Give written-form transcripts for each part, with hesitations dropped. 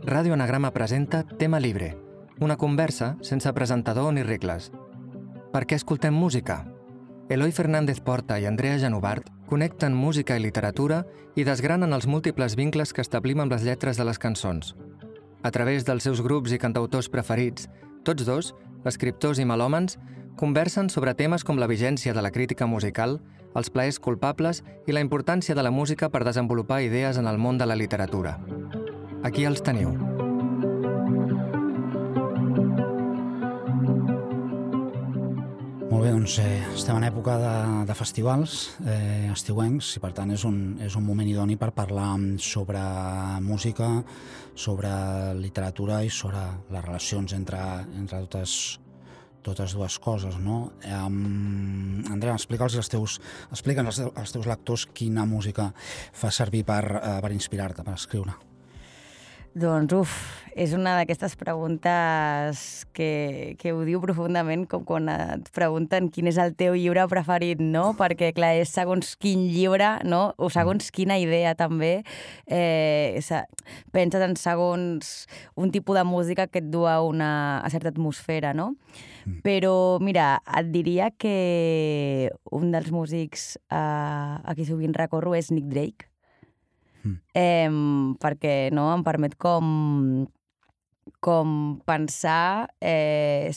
Ràdio Anagrama presenta Tema Libre, una conversa sense presentador ni regles. Per què escoltem música? Eloi Fernández Porta i Andrea Genovart connecten música i literatura i desgranen els múltiples vincles que establim amb les lletres de les cançons. A través dels seus grups i cantautors preferits, tots dos, escriptors i melòmans, conversen sobre temes com la vigència de la crítica musical, els plaers culpables i la importància de la música per desenvolupar idees en el món de la literatura. Aquí els teniu. Molt bé, doncs estem en època de festivals estiuencs i per tant és un moment idoni per parlar sobre música, sobre literatura i sobre les relacions entre totes dues coses, no? Andrea, explica'ls als teus lectors quina música fa servir per inspirar-te, per escriure. Doncs, és una d'aquestes preguntes que ho diu profundament, com quan et pregunten quin és el teu llibre preferit, no? Perquè, clar, és segons quin llibre, no? O segons quina idea, també. Penses en segons un tipus de música que et du a certa atmosfera, no? Però, mira, et diria que un dels músics a qui sovint recorro és Nick Drake, perquè no em permet com pensar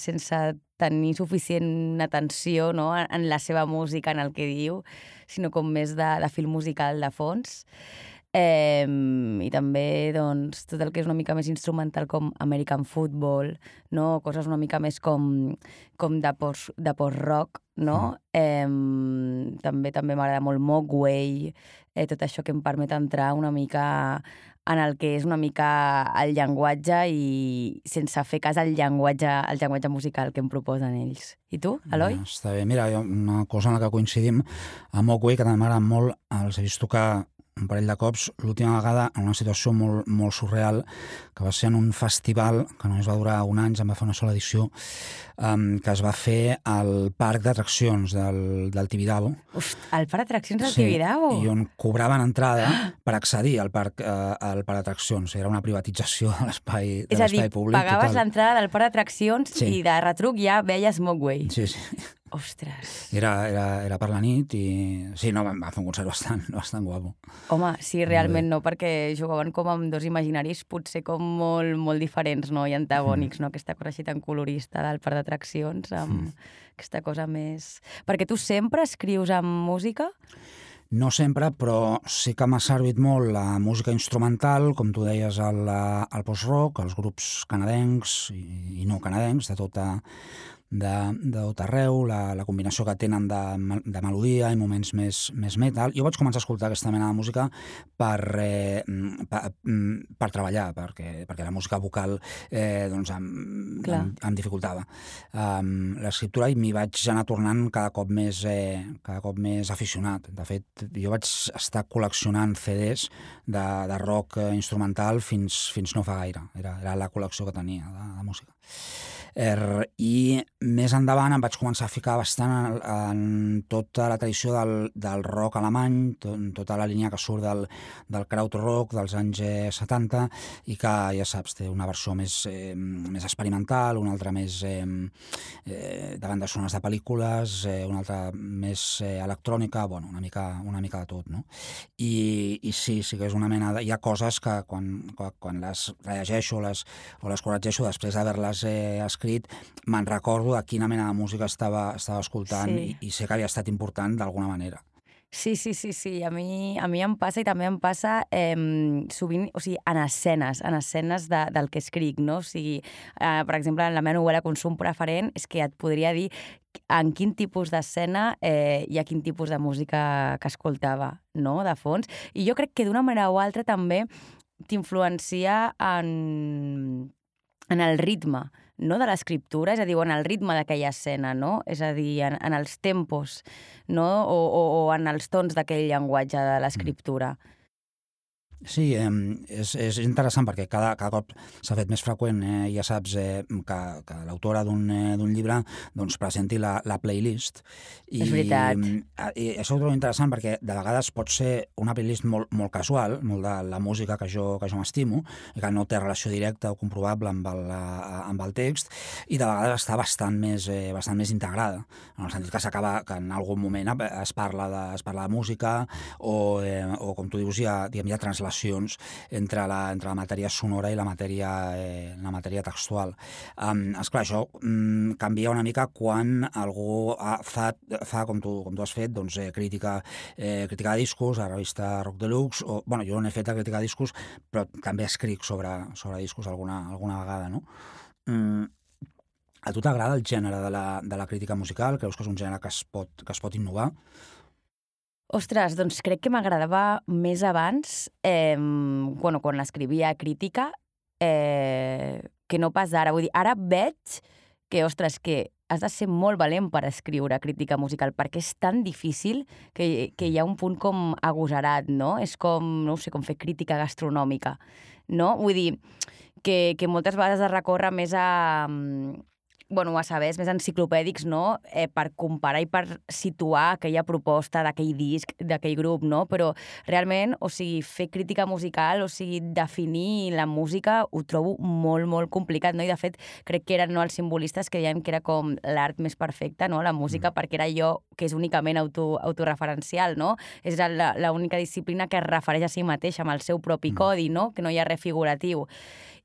sense tenir suficient atenció, no, en la seva música, en el que diu, sinó com més de fil musical de fons. I també doncs, tot el que és una mica més instrumental com American Football, no? Coses una mica més com de post-rock, no? També m'agrada molt Mogwai, tot això que em permet entrar una mica en el que és una mica el llenguatge i sense fer cas al llenguatge musical que em proposen ells. I tu, Eloi? Està bé. Mira, una cosa en la que coincidim, a Mogwai, que també m'agrada molt, els he vist tocar un parell de cops, l'última vegada en una situació molt, molt surreal, que va ser en un festival que només va durar un any, em va fer una sola edició, que es va fer al parc d'atraccions del Tibidabo. El parc d'atraccions del Tibidabo? Sí, i on cobraven entrada per accedir al parc d'atraccions. Era una privatització de l'espai públic. És a dir, pagaves l'entrada del parc d'atraccions i de retruc ja veies Mogwai. Sí. Ostres. Era per la nit i... Sí, no, va fer un concert bastant guapo. Home, sí, realment no, perquè jugaven com amb dos imaginaris potser com molt, molt diferents, no? I antagònics, no? Aquesta cosa així tan colorista del parc d'atraccions, amb aquesta cosa més... Perquè tu sempre escrius amb música? No sempre, però sí que m'ha servit molt la música instrumental, com tu deies, el post-rock, els grups canadencs i no canadencs, de tot arreu, la combinació que tenen de melodia i moments més metal. Jo vaig començar a escoltar aquesta mena de música per treballar, perquè la música vocal em dificultava l'escriptura i m'hi vaig anar tornant cada cop més aficionat. De fet, jo vaig estar col·leccionant CDs de rock instrumental fins no fa gaire. Era la col·lecció que tenia de música. I més endavant em vaig començar a ficar bastant en tota la tradició del rock alemany, tota la línia que surt del krautrock dels anys 70 i que, ja saps, té una versió més experimental, una altra més de bandes sonores de pel·lícules, una altra més electrònica, bueno, una mica de tot, no? I sí que és una mena de... Hi ha coses que quan les rellegeixo o les corregeixo després d'haver-les escrit, me'n recordo de quina mena de música estava escoltant i sé que havia estat important d'alguna manera. Sí. A mi em passa i també em passa sovint, o sigui, en escenes del que escric, no? O sigui, per exemple, en la meva novel·la Consum preferent és que et podria dir en quin tipus d'escena hi ha quin tipus de música que escoltava, no?, de fons. I jo crec que d'una manera o altra també t'influencia en el ritme, no, de l'escriptura, és a dir, en el ritme d'aquella escena, no? És a dir, en els tempos, no? O en els tons d'aquell llenguatge de l'escriptura. Sí, és interessant perquè cada cop s'ha fet més freqüent, ja saps, que l'autora d'un llibre doncs, presenti la playlist. És veritat. I això ho trobo interessant perquè de vegades pot ser una playlist molt casual, molt de la música que jo m'estimo, i que no té relació directa o comprovable amb el text, i de vegades està bastant més integrada, en el sentit que s'acaba que en algun moment es parla de música o com tu dius, hi ha translacions entre la matèria sonora i la matèria textual. Esclar, això canvia una mica quan algú fa com tu has fet, doncs, crítica de discos a la revista Rock Deluxe, o, bueno, jo no he fet crítica de discos, però també escric sobre discos alguna vegada, no? A tu t'agrada el gènere de la crítica musical? Creus que és un gènere que es pot innovar? Ostres, doncs crec que m'agradava més abans, quan escrivia crítica, que no pas ara. Vull dir, ara veig que, ostres, que has de ser molt valent per escriure crítica musical, perquè és tan difícil que hi ha un punt com agosarat, no? És com, no ho sé, com fer crítica gastronòmica, no? Vull dir, que moltes vegades es recorre més a sabers més enciclopèdics, no? Per comparar i per situar aquella proposta d'aquell disc, d'aquell grup, no? Però realment, o sigui, fer crítica musical, o sigui, definir la música, ho trobo molt, molt complicat, no? I de fet, crec que eren els simbolistes que deien que era com l'art més perfecta, no? La música, perquè era allò que és únicament autoreferencial, no? És l'única disciplina que es refereix a si mateixa, amb el seu propi codi, no? Que no hi ha res figuratiu.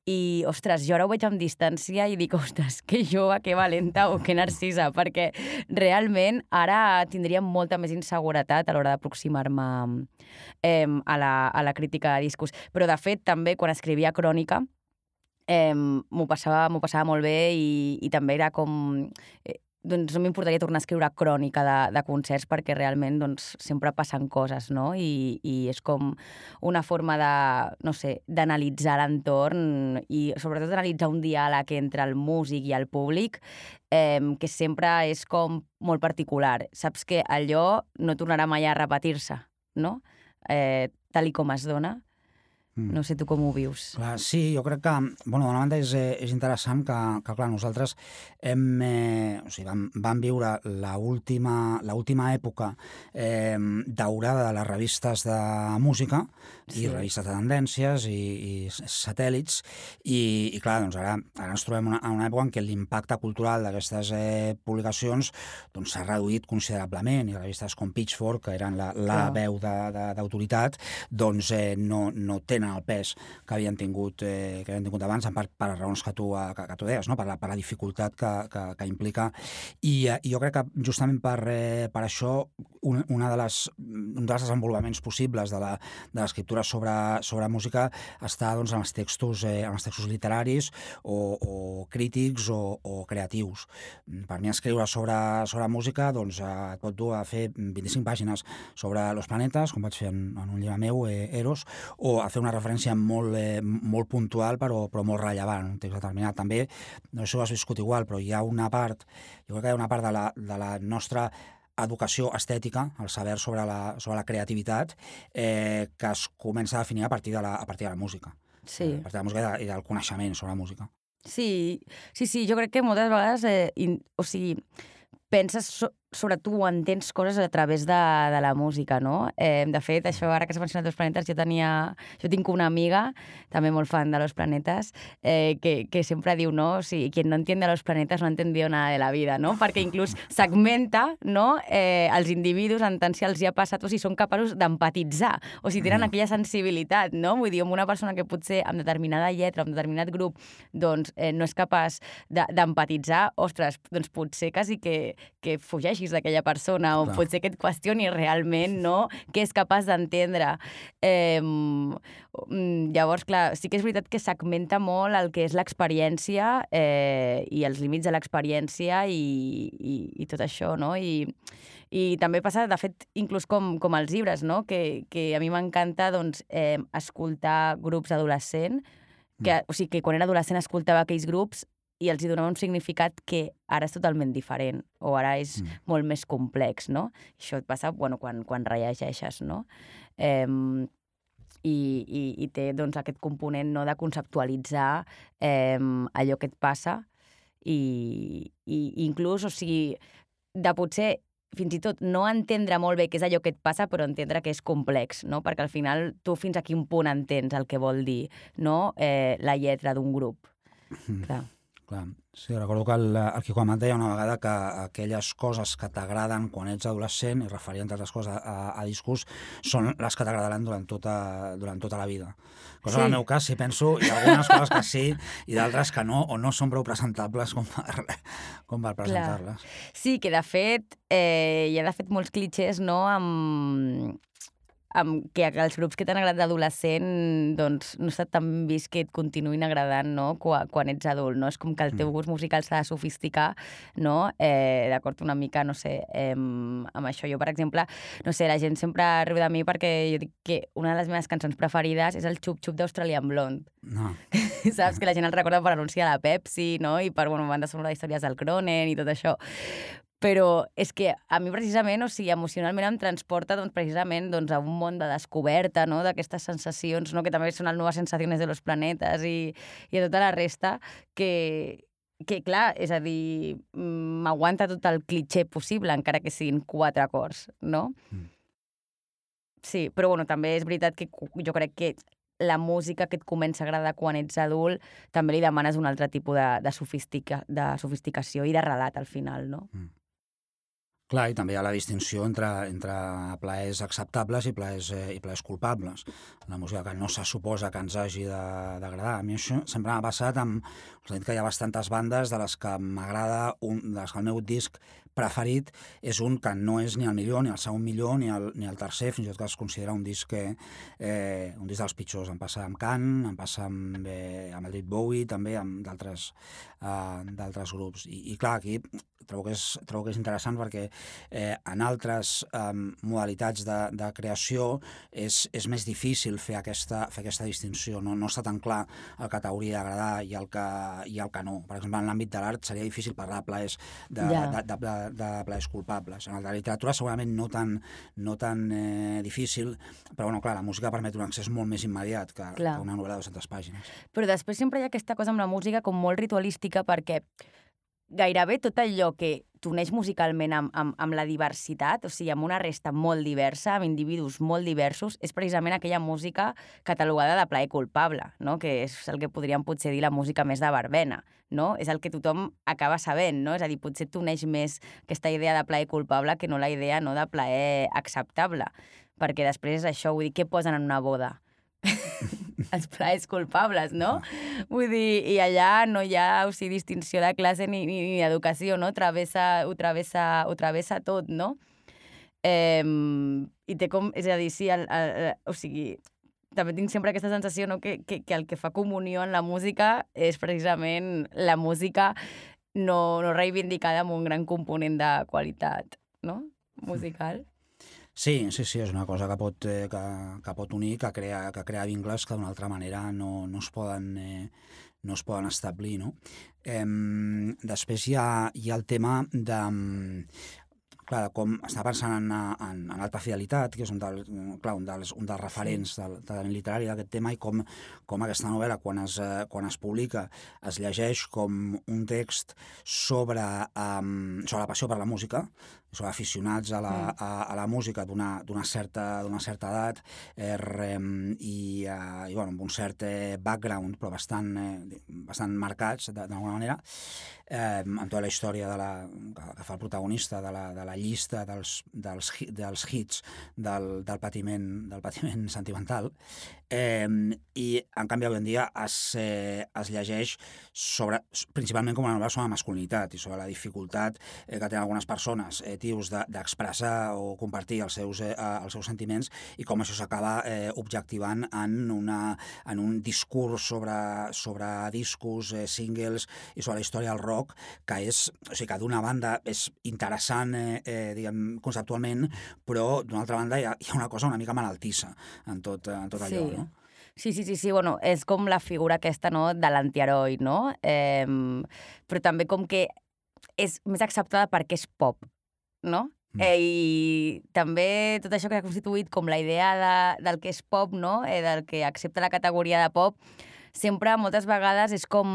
I, ostres, jo ara ho veig amb distància i dic, ostres, que jove, que valenta o que narcisa, perquè realment ara tindria molta més inseguretat a l'hora d'aproximar-me a la crítica de discos. Però, de fet, també, quan escrivia crònica, m'ho passava molt bé i també era com... doncs no m'importaria tornar a escriure crònica de concerts perquè realment doncs, sempre passen coses, no? I és com una forma de, no sé, d'analitzar l'entorn i sobretot d'analitzar un diàleg entre el músic i el públic que sempre és com molt particular. Saps que allò no tornarà mai a repetir-se, no? Tal i com es dona. No sé tu com ho vius. Clar, sí, jo crec que, d'una banda és interessant que clar, nosaltres vam viure l'última època daurada de les revistes de música i revistes de tendències i satèl·lits i clar, doncs ara ens trobem en una època en què l'impacte cultural d'aquestes publicacions s'ha reduït considerablement i revistes com Pitchfork, que eren la veu d'autoritat, doncs no tenen el pes que havien tingut abans, en part per les raons que tu deies, no? per la dificultat que implica. I jo crec que justament per això un dels desenvolupaments possibles de l'escriptura sobre música està en els textos literaris o crítics o creatius. Per mi escriure sobre música et pot dur a fer 25 pàgines sobre Los Planetes, com vaig fer en un llibre meu, Eros, o a fer una referència molt puntual però molt rellevant, un text determinat. També, no sé si ho has viscut igual, però jo crec que hi ha una part de la nostra educació estètica, el saber sobre la creativitat, que es comença a definir a partir de la música. Sí. A partir de la música i del coneixement sobre la música. Sí, jo crec que moltes vegades, penses sobre tu o entens coses a través de la música, no? De fet, això, ara que s'ha mencionat Los Planetes, jo tinc una amiga, també molt fan de Los Planetes, que sempre diu, no? O sigui, quien no entiende Los Planetes no ha entendido nada de la vida, no? Perquè inclús segmenta, no? Els individus en tant si els hi ha passat o si són capaços d'empatitzar, o si tenen aquella sensibilitat, no? Vull dir, amb una persona que potser amb determinada lletra, amb determinat grup, doncs no és capaç d'empatitzar, ostres, doncs potser quasi que fugeix d'aquella persona o potser que et qüestioni realment, no?, què és capaç d'entendre. Llavors, clar, sí que és veritat que segmenta molt el que és l'experiència i els límits de l'experiència i tot això, no? I també passa, de fet, inclús com els llibres, no?, que a mi m'encanta escoltar grups adolescents, o sigui, que quan era adolescent escoltava aquells grups i els hi donava un significat que ara és totalment diferent, o ara és molt més complex, no? Això et passa quan rellegeixes, no? i té doncs, aquest component, no?, de conceptualitzar allò que et passa i inclús, o sigui, de potser fins i tot no entendre molt bé què és allò que et passa, però entendre que és complex, no? Perquè al final tu fins a quin punt entens el que vol dir, no?, la lletra d'un grup. Clar. Clar. Sí, recordo que el Quico Amat deia una vegada que aquelles coses que t'agraden quan ets adolescent, i referia entre altres coses a discos, són les que t'agradaran durant tota la vida. Cosa en el meu cas, si penso, hi ha algunes coses que sí i d'altres que no, o no són prou presentables com per presentar-les. Sí, que de fet hi ha de fet molts clitxers, no?, amb que els grups que t'han agradat d'adolescent doncs no està tan vist que et continuïn agradant, no?, quan ets adult, no? És com que el teu gust musical s'ha de sofisticar, no?, d'acord una mica, no sé, amb això. Jo, per exemple, no sé, la gent sempre riu de mi perquè jo dic que una de les meves cançons preferides és el Xup Xup d'Australian Blonde. No. Saps? Que la gent el recorda per anunci de la Pepsi, no?, i per, banda sonora d'històries del Cronen i tot això. Però és que a mi precisament, o sigui, emocionalment em transporta doncs, precisament doncs, a un món de descoberta, no?, d'aquestes sensacions, no?, que també són les noves sensacions de los planetes i a tota la resta, que clar, és a dir, m'aguanta tot el clitxer possible, encara que siguin 4 acords, no? Sí, però bueno, també és veritat que jo crec que la música que et comença a agradar quan ets adult també li demanes un altre tipus de sofisticació i de relat al final, no? Clar, i també hi ha la distinció entre plaers acceptables i plaers culpables. La música que no se suposa que ens hagi d'agradar. A mi això sempre m'ha passat amb... Us he dit que hi ha bastantes bandes de les que m'agrada, de les que el meu disc preferit és un que no és ni el millor, ni el segon millor, ni el tercer, fins i tot que es considera un disc dels pitjors. Em passa amb Can, em passa amb el David Bowie, també amb d'altres grups. I clar, aquí trobo que és interessant perquè en altres modalitats de creació és més difícil fer aquesta distinció. No està tan clar el que t'hauria d'agradar i el que no. Per exemple, en l'àmbit de l'art seria difícil parlar de plaers culpables. En la literatura segurament no tan difícil, però bueno, clar, la música permet un accés molt més immediat que una novel·la de 200 pàgines. Però després sempre hi ha aquesta cosa amb la música com molt ritualística perquè gairebé tot allò que t'uneix musicalment amb la diversitat, o sigui, amb una resta molt diversa, amb individus molt diversos, és precisament aquella música catalogada de plaer culpable, no?, que és el que podríem potser dir la música més de verbena, no? És el que tothom acaba sabent, no? És a dir, potser t'uneix més aquesta idea de plaer culpable que no la idea, no?, de plaer acceptable, perquè després això, vull dir, què posen en una boda? Els plaers culpables, no? Vull dir, i allà no hi ha, o sigui, distinció de classe ni educació, no? Ho travessa tot, no? I té com, és a dir, sí, o sigui, també tinc sempre aquesta sensació, no?, que el que fa comunió en la música és precisament la música no reivindicada amb un gran component de qualitat, no?, musical. Sí, és una cosa que pot unir, que crea vincles que d'una altra manera no es poden establir, no? Després hi ha el tema de... Clar, com està pensant en Alta Fidelitat, que és un dels referents del talent literari d'aquest tema, i com aquesta novel·la, quan es publica, es llegeix com un text sobre la passió per la música, sobre aficionats a la música d'una certa edat i amb un cert background, però bastant marcats d'alguna manera, amb tota la història que fa el protagonista de la llista dels hits del patiment sentimental, i en canvi avui en dia es llegeix principalment com una novel·la sobre la masculinitat i sobre la dificultat que tenen algunes persones d'expressar o compartir els seus sentiments, i com això s'acaba objectivant en un discurs sobre discos, singles i sobre la història del rock, que que d'una banda és interessant diguem conceptualment, però d'una altra banda hi ha una cosa una mica malaltissa en tot allò, no? Sí, bueno, és com la figura aquesta, no?, de l'antiheroi, no? Però també com que és més acceptada perquè és pop, no? I també tot això que ha constituït com la idea del que és pop, no? Del que accepta la categoria de pop, sempre, moltes vegades, és com,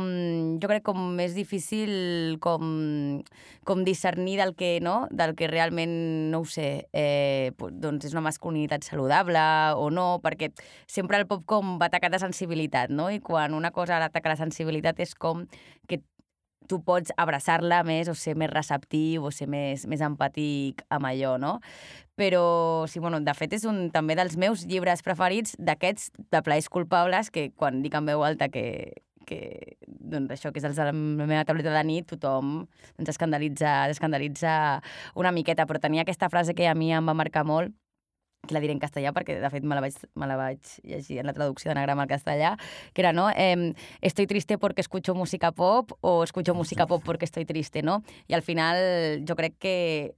jo crec, com més difícil com discernir del que, no? Del que realment, no ho sé, doncs és una masculinitat saludable o no, perquè sempre el pop com va atacar de sensibilitat, no? I quan una cosa ataca la sensibilitat és com que tu pots abraçar-la més o ser més receptiu o ser més empàtic amb allò, no? Però, sí, bueno, de fet, és un també dels meus llibres preferits, d'aquests de plaers culpables, que quan dic en veu alta que doncs això, que és els de la meva tauleta de nit, tothom doncs escandalitza una miqueta, però tenia aquesta frase que a mi em va marcar molt, que la diré en castellà perquè, de fet, me la vaig llegir en la traducció d'anagrama al castellà, que era, no? Estoy triste porque escucho música pop o escucho música pop porque estoy triste, no? I al final jo crec que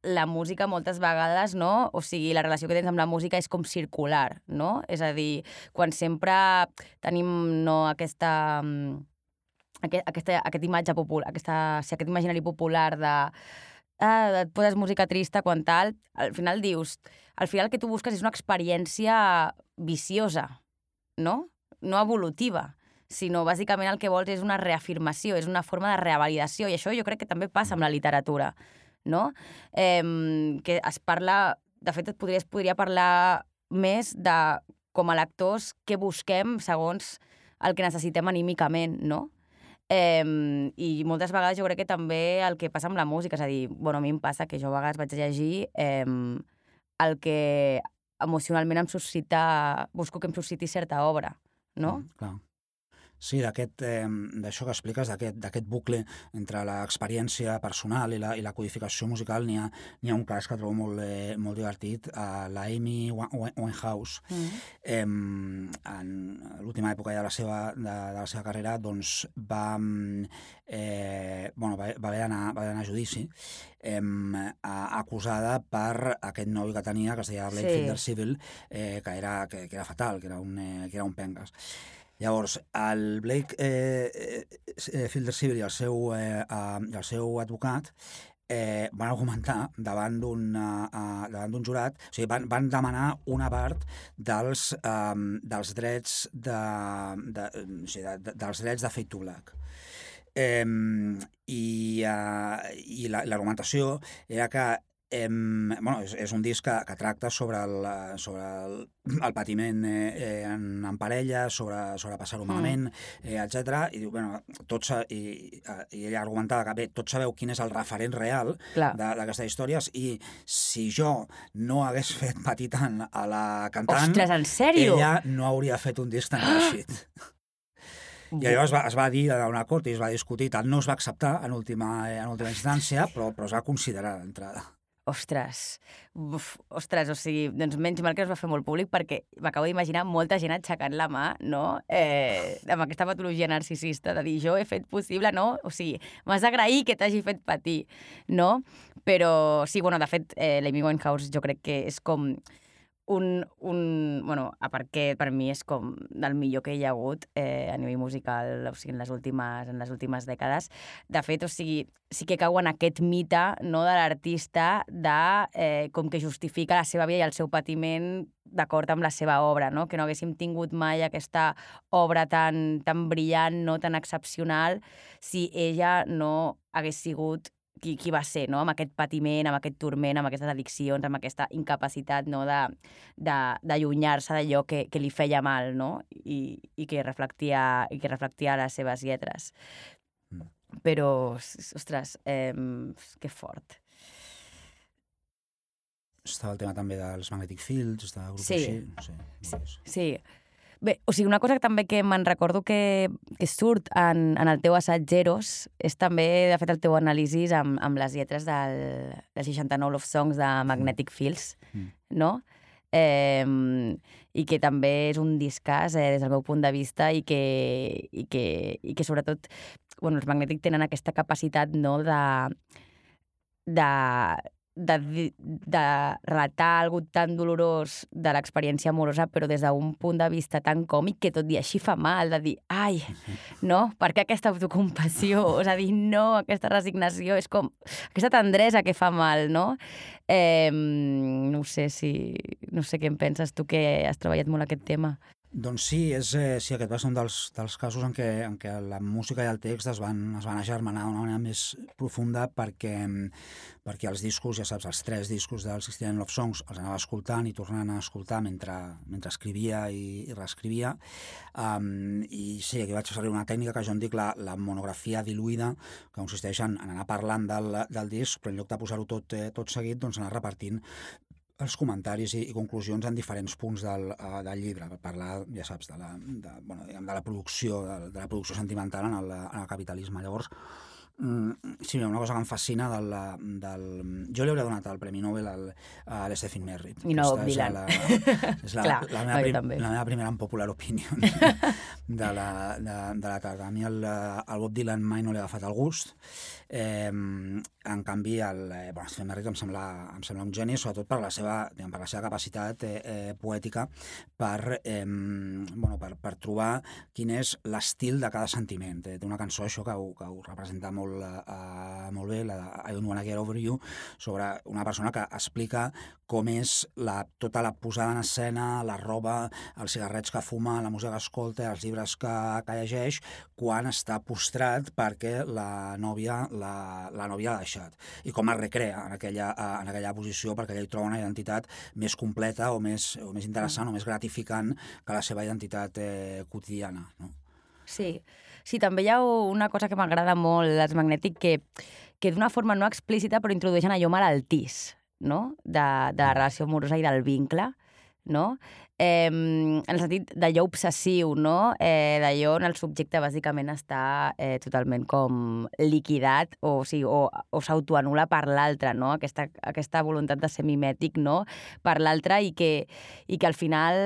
la música moltes vegades, no? O sigui, la relació que tens amb la música és com circular, no? És a dir, quan sempre tenim, no, aquest imatge popular, aquest imaginari popular de et poses música trista quan tal, al final dius, al final el que tu busques és una experiència viciosa, no? No evolutiva, sinó bàsicament el que vols és una reafirmació, és una forma de revalidació, i això jo crec que també passa amb la literatura, no? Que es parla, de fet es podria parlar més de, com a lectors, què busquem segons el que necessitem anímicament, no? I moltes vegades jo crec que també el que passa amb la música, és a dir, bueno, a mi em passa que jo a vegades vaig llegir el que emocionalment em suscita, busco que em susciti certa obra, no? Clar. Sí, d'això que expliques, d'aquest bucle entre l'experiència personal i la codificació musical, n'hi ha un cas que trobo molt divertit, la Amy Winehouse. En l'última època de la seva carrera, doncs va haver d'anar a judici, acusada per aquest nòvio que tenia, que es deia Blake Fielder-Civil, que era fatal, que era un penques. Llavors, el Blake Fielder-Civil i el seu advocat van argumentar davant d'un jurat, o sigui, van demanar una part dels drets dels drets de Fade to Black. I l'argumentació era que és un disc que tracta sobre el patiment en parella, sobre passar-ho malament, etc. I diu, i ella argumentava que, bé, tots sabeu quin és el referent real d'aquestes històries, i si jo no hagués fet patir tant a la cantant, ostres, en sèrio? Ella no hauria fet un disc tan reeixit. I llavors es va dir a una cort i es va discutir, tant no es va acceptar en última instància, però es va considerar d'entrada. Ostres, o sigui, doncs menys mal que es va fer molt públic, perquè m'acabo d'imaginar molta gent aixecant la mà, no?, amb aquesta patologia narcisista, de dir, jo he fet possible, no? O sigui, m'has d'agrair que t'hagi fet patir, no? Però sí, bueno, de fet, l'Amy Winehouse jo crec que és com bueno, a part que per mi és com del millor que hi ha hagut a nivell musical, o sigui, en les últimes dècades. De fet, o sigui, sí que cau en aquest mite, no, de l'artista de com que justifica la seva vida i el seu patiment d'acord amb la seva obra, no? Que no haguéssim tingut mai aquesta obra tan brillant, no, tan excepcional, si ella no hagués sigut qui va ser, no? Amb aquest patiment, amb aquest turment, amb aquestes addiccions, amb aquesta incapacitat, no, d'allunyar-se d'allò que li feia mal, no? I que reflectia les seves lletres. Però, ostres, que fort. Estava el tema també dels Magnetic Fields, de grups així, no sé. Sí. Bé, o sigui, una cosa que també que me'n recordo que surt en el teu assaig Eros és també, de fet, el teu anàlisi amb les lletres dels 69 Love Songs de Magnetic Fields, no? I que també és un discàs des del meu punt de vista i que sobretot, bueno, els Magnetic tenen aquesta capacitat, no, de relatar algo tan dolorós de l'experiència amorosa, però des d'un punt de vista tan còmic que tot i així fa mal, de dir, ai, no, per què aquesta autocompassió? És a dir, no, aquesta resignació, és com aquesta tendresa que fa mal, no? No sé què en penses tu, que has treballat molt aquest tema. Doncs sí, sí, aquest va ser un dels casos en què la música i el text es van agermanar d'una manera més profunda perquè els discos, ja saps, els 3 discos del 69 Love Songs els anava escoltant i tornant a escoltar mentre escrivia i reescrivia. I sí, aquí vaig servir una tècnica que jo en dic la monografia diluïda, que consisteix en anar parlant del disc, però en lloc de posar-ho tot seguit, doncs anar repartint els comentaris i conclusions en diferents punts del llibre, per parlar, ja saps, de la producció, de la producció sentimental en el capitalisme. Llavors, sí, una cosa que em fascina jo li hauria donat el Premi Nobel a l'Stephen Merritt. I no Bob Dylan. És la meva primera unpopular opinion de la tarda. A mi el Bob Dylan mai no li ha agafat el gust. En canvi, Stephen Merritt em sembla un geni, sobretot per la seva capacitat poètica per trobar quin és l'estil de cada sentiment. Té una cançó, això, que ho representa molt bé, la de I Don't Wanna Get Over You, sobre una persona que explica com és tota la posada en escena, la roba, els cigarrets que fuma, la música que escolta, els llibres que llegeix, quan està postrat perquè la nòvia l'ha deixat. I com es recrea en aquella posició perquè ella hi troba una identitat més completa o més interessant o més gratificant que la seva identitat quotidiana, no? Sí, també hi ha una cosa que m'agrada molt dels Magnetic, que d'una forma no explícita però introdueixen allò malaltís, no? De la relació amorosa i del vincle, no? En el sentit d'allò obsessiu, no? D'allò on el subjecte bàsicament està totalment com liquidat o s'autoanul·la per l'altre, no? Aquesta voluntat de ser mimètic, no? Per l'altre i que al final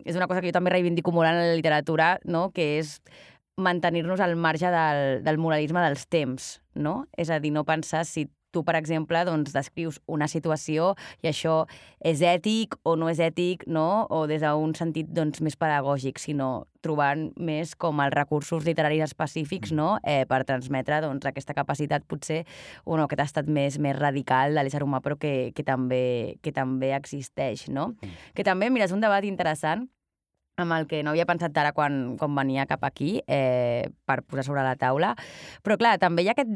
és una cosa que jo també reivindico molt en la literatura, no? Que és mantenir-nos al marge del moralisme dels temps, no? És a dir, no pensar si tu, per exemple, doncs, descrius una situació i això és ètic o no és ètic, no? O des d'un sentit doncs, més pedagògic, sinó trobant més com els recursos literaris específics, no? Per transmetre doncs, aquesta capacitat, potser, aquest estat més radical de l'ésser humà, però que també existeix, no? Que també, mira, és un debat interessant amb el que no havia pensat ara quan venia cap aquí per posar sobre la taula. Però, clar, també hi ha aquest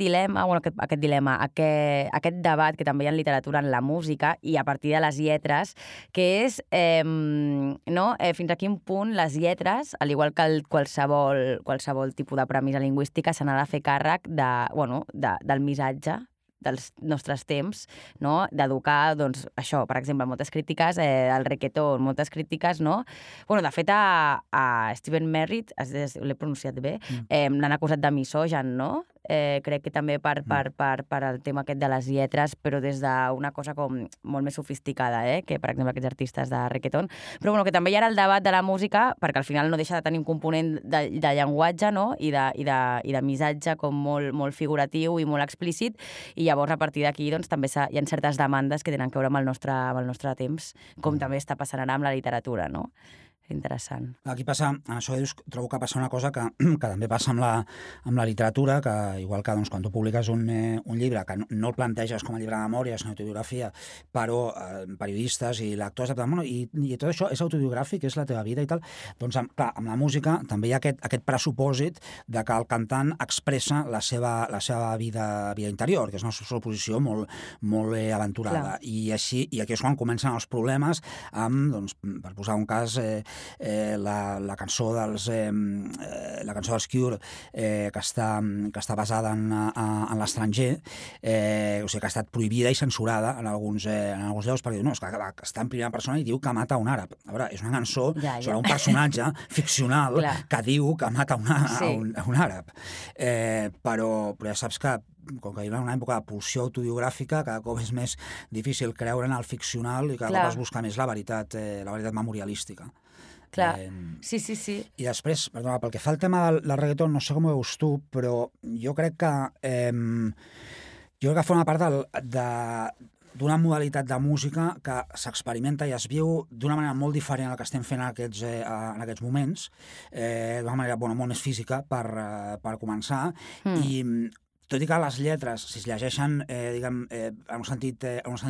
debat que també hi ha en literatura, en la música i a partir de les lletres, que és fins a quin punt les lletres, al igual que qualsevol tipus de premissa lingüística, se n'ha de fer càrrec del missatge dels nostres temps, no? D'educar, doncs, això, per exemple, moltes crítiques al reggaeton, moltes crítiques, no? De fet, a Stephen Merritt, l'he pronunciat bé, l'han acusat de misògen, no? Crec que també per el tema aquest de les lletres, però des d'una cosa com molt més sofisticada, que, per exemple, aquests artistes de reggaeton. Però que també hi ha el debat de la música, perquè al final no deixa de tenir un component de llenguatge, no? I de missatge com molt figuratiu i molt explícit, i llavors a partir d'aquí doncs, també hi ha certes demandes que tenen a veure amb el nostre temps, com també està passant ara amb la literatura, no? Interessant. Aquí passa, en això que dius, trobo que passa una cosa que també passa amb la literatura, que igual que quan tu publiques un llibre que no el planteges com a llibre de memòria, és una autobiografia, però periodistes i lectors, i tot això és autobiogràfic, és la teva vida i tal, doncs clar, amb la música també hi ha aquest pressupòsit de que el cantant expressa la seva vida interior, que és una suposició molt aventurada. Clar. I aquí és quan comencen els problemes amb, doncs, per posar un cas, la cançó dels Cure, que està basada en l'estranger, o sigui, que ha estat prohibida i censurada en alguns llocs, perquè diu, no, és que està en primera persona i diu que mata un àrab. A veure, és una cançó sobre un personatge ficcional que diu que mata un àrab. Però ja saps que com que hi ha una època de pulsió autobiogràfica, cada cop és més difícil creure en el ficcional i cada cop es busca més la veritat memorialística. Clar, sí. I després, perdona, pel que fa al tema del reggaeton, no sé com ho veus tu, però jo crec que forma part d'una modalitat de música que s'experimenta i es viu d'una manera molt diferent a la que estem fent en aquests moments, d'una manera molt més física per començar, i tot i que les lletres, si es llegeixen en un sentit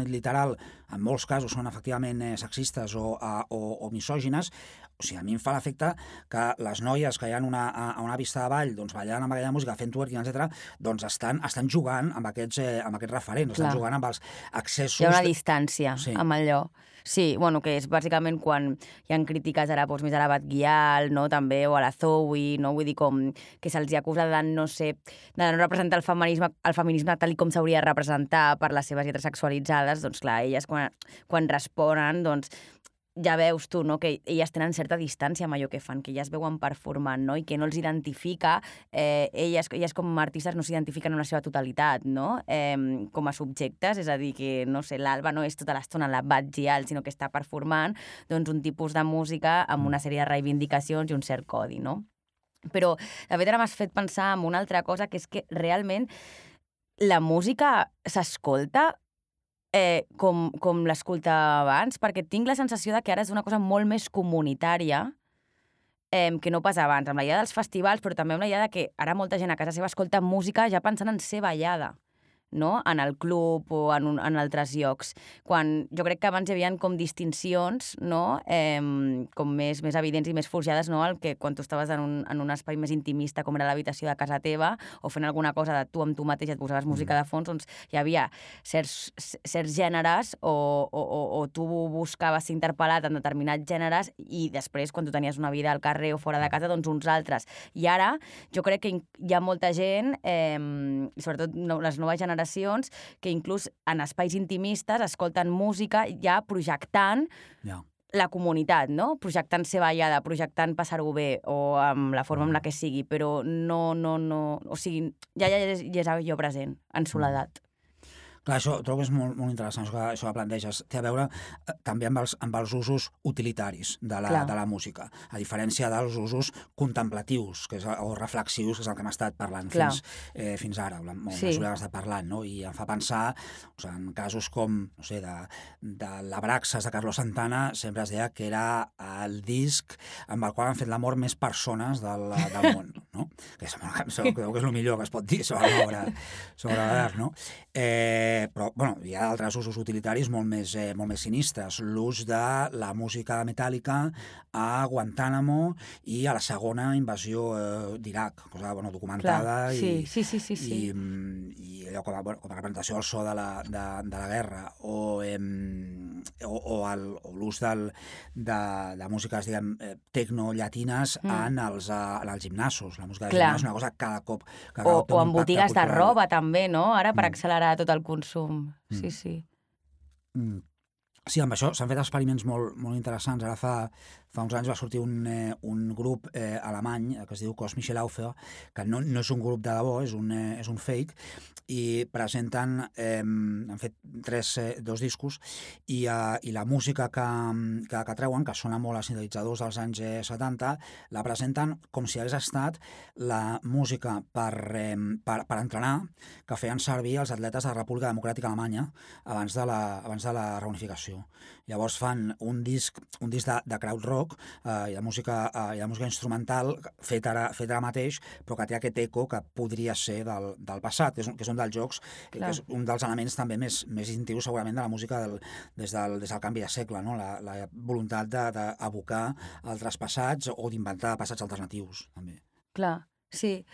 literal, en molts casos són efectivament sexistes o misògines, o sigui, a mi em fa l'efecte que les noies que hi ha a una pista de ball, doncs ballant amb aquella música, fent twerking, etc., doncs estan jugant amb aquests referents, estan jugant amb els accessos... Hi ha una distància amb allò. Sí, bueno, que és bàsicament quan hi ha crítiques ara més a la Batguial, no, també, o a la Zoe, no? Vull dir, com que se'ls acusa de no representar el feminisme tal com s'hauria de representar per les seves lletres sexualitzades, doncs clar, elles quan responen, doncs ja veus tu, no?, que elles tenen certa distància amb allò que fan, que elles veuen performant, no?, i que no els identifica, elles com a artistes no s'identifiquen en la seva totalitat, no?, com a subjectes, és a dir, que, no sé, l'Alba no és tota l'estona la Batgial, sinó que està performant, doncs, un tipus de música amb una sèrie de reivindicacions i un cert codi, no? Però, de fet, ara m'has fet pensar en una altra cosa, que és que realment la música s'escolta com l'escolta abans, perquè tinc la sensació de que ara és una cosa molt més comunitària que no pas abans, amb la idea dels festivals, però també amb la idea de que ara molta gent a casa seva escolta música ja pensant en ser ballada, no?, en el club o en altres llocs. Quan jo crec que abans hi havia com distincions, no?, com més evidents i més forjades, no?, el que quan tu estaves en un espai més intimista, com era l'habitació de casa teva, o fent alguna cosa de tu amb tu mateix, et posaves música de fons, doncs hi havia certs gèneres o tu buscaves ser interpel·lat en determinats gèneres i després, quan tu tenies una vida al carrer o fora de casa, doncs uns altres. I ara jo crec que hi ha molta gent, sobretot les noves generacions, que inclús en espais intimistes escolten música ja projectant la comunitat, no? Projectant ser ballada, projectant passar-ho bé o amb la forma amb la que sigui, però no... O sigui, ja és allò present, en soledat. Clar, això trobo que és molt interessant, això que planteges. Té a veure també amb els usos utilitaris de la música, a diferència dels usos contemplatius o reflexius, que és el que hem estat parlant fins ara, la mesura que hem estat parlant, no? I em fa pensar en casos com, no sé, de l'Abraxas de Carlos Santana, sempre es deia que era el disc amb el qual han fet l'amor més persones del món, no? Que crec que és el millor que es pot dir sobre l'art, no? Però bueno, hi ha altres usos utilitaris molt més sinistres. L'ús de la música metàl·lica a Guantánamo i a la segona invasió d'Iraq, cosa documentada i allò com a representació del so de la guerra, o l'ús de músiques, diguem, tecno-llatines en els gimnasos. La música de gimnàs és una cosa cada cop o en botigues de roba també, no? Ara per accelerar tot el consum. Sí. Sí, amb això s'han fet experiments molt interessants. Ara fa uns anys va sortir un grup alemany que es diu Cos Michelauffer, que no és un grup de debò, és un fake, i presenten, han fet dos discos, i la música que treuen, que sona molt a sintetitzadors dels anys 70, la presenten com si hagués estat la música per entrenar que feien servir els atletes de la República Democràtica Alemanya abans de la reunificació. Llavors fan un disc de crowd rock i de música instrumental fet ara mateix, però que té aquest eco que podria ser del passat, que és un dels jocs, que és un dels elements també més distintius segurament de la música des del canvi de segle, no? La voluntat d'abocar altres passats o d'inventar passats alternatius, també. Clar, sí.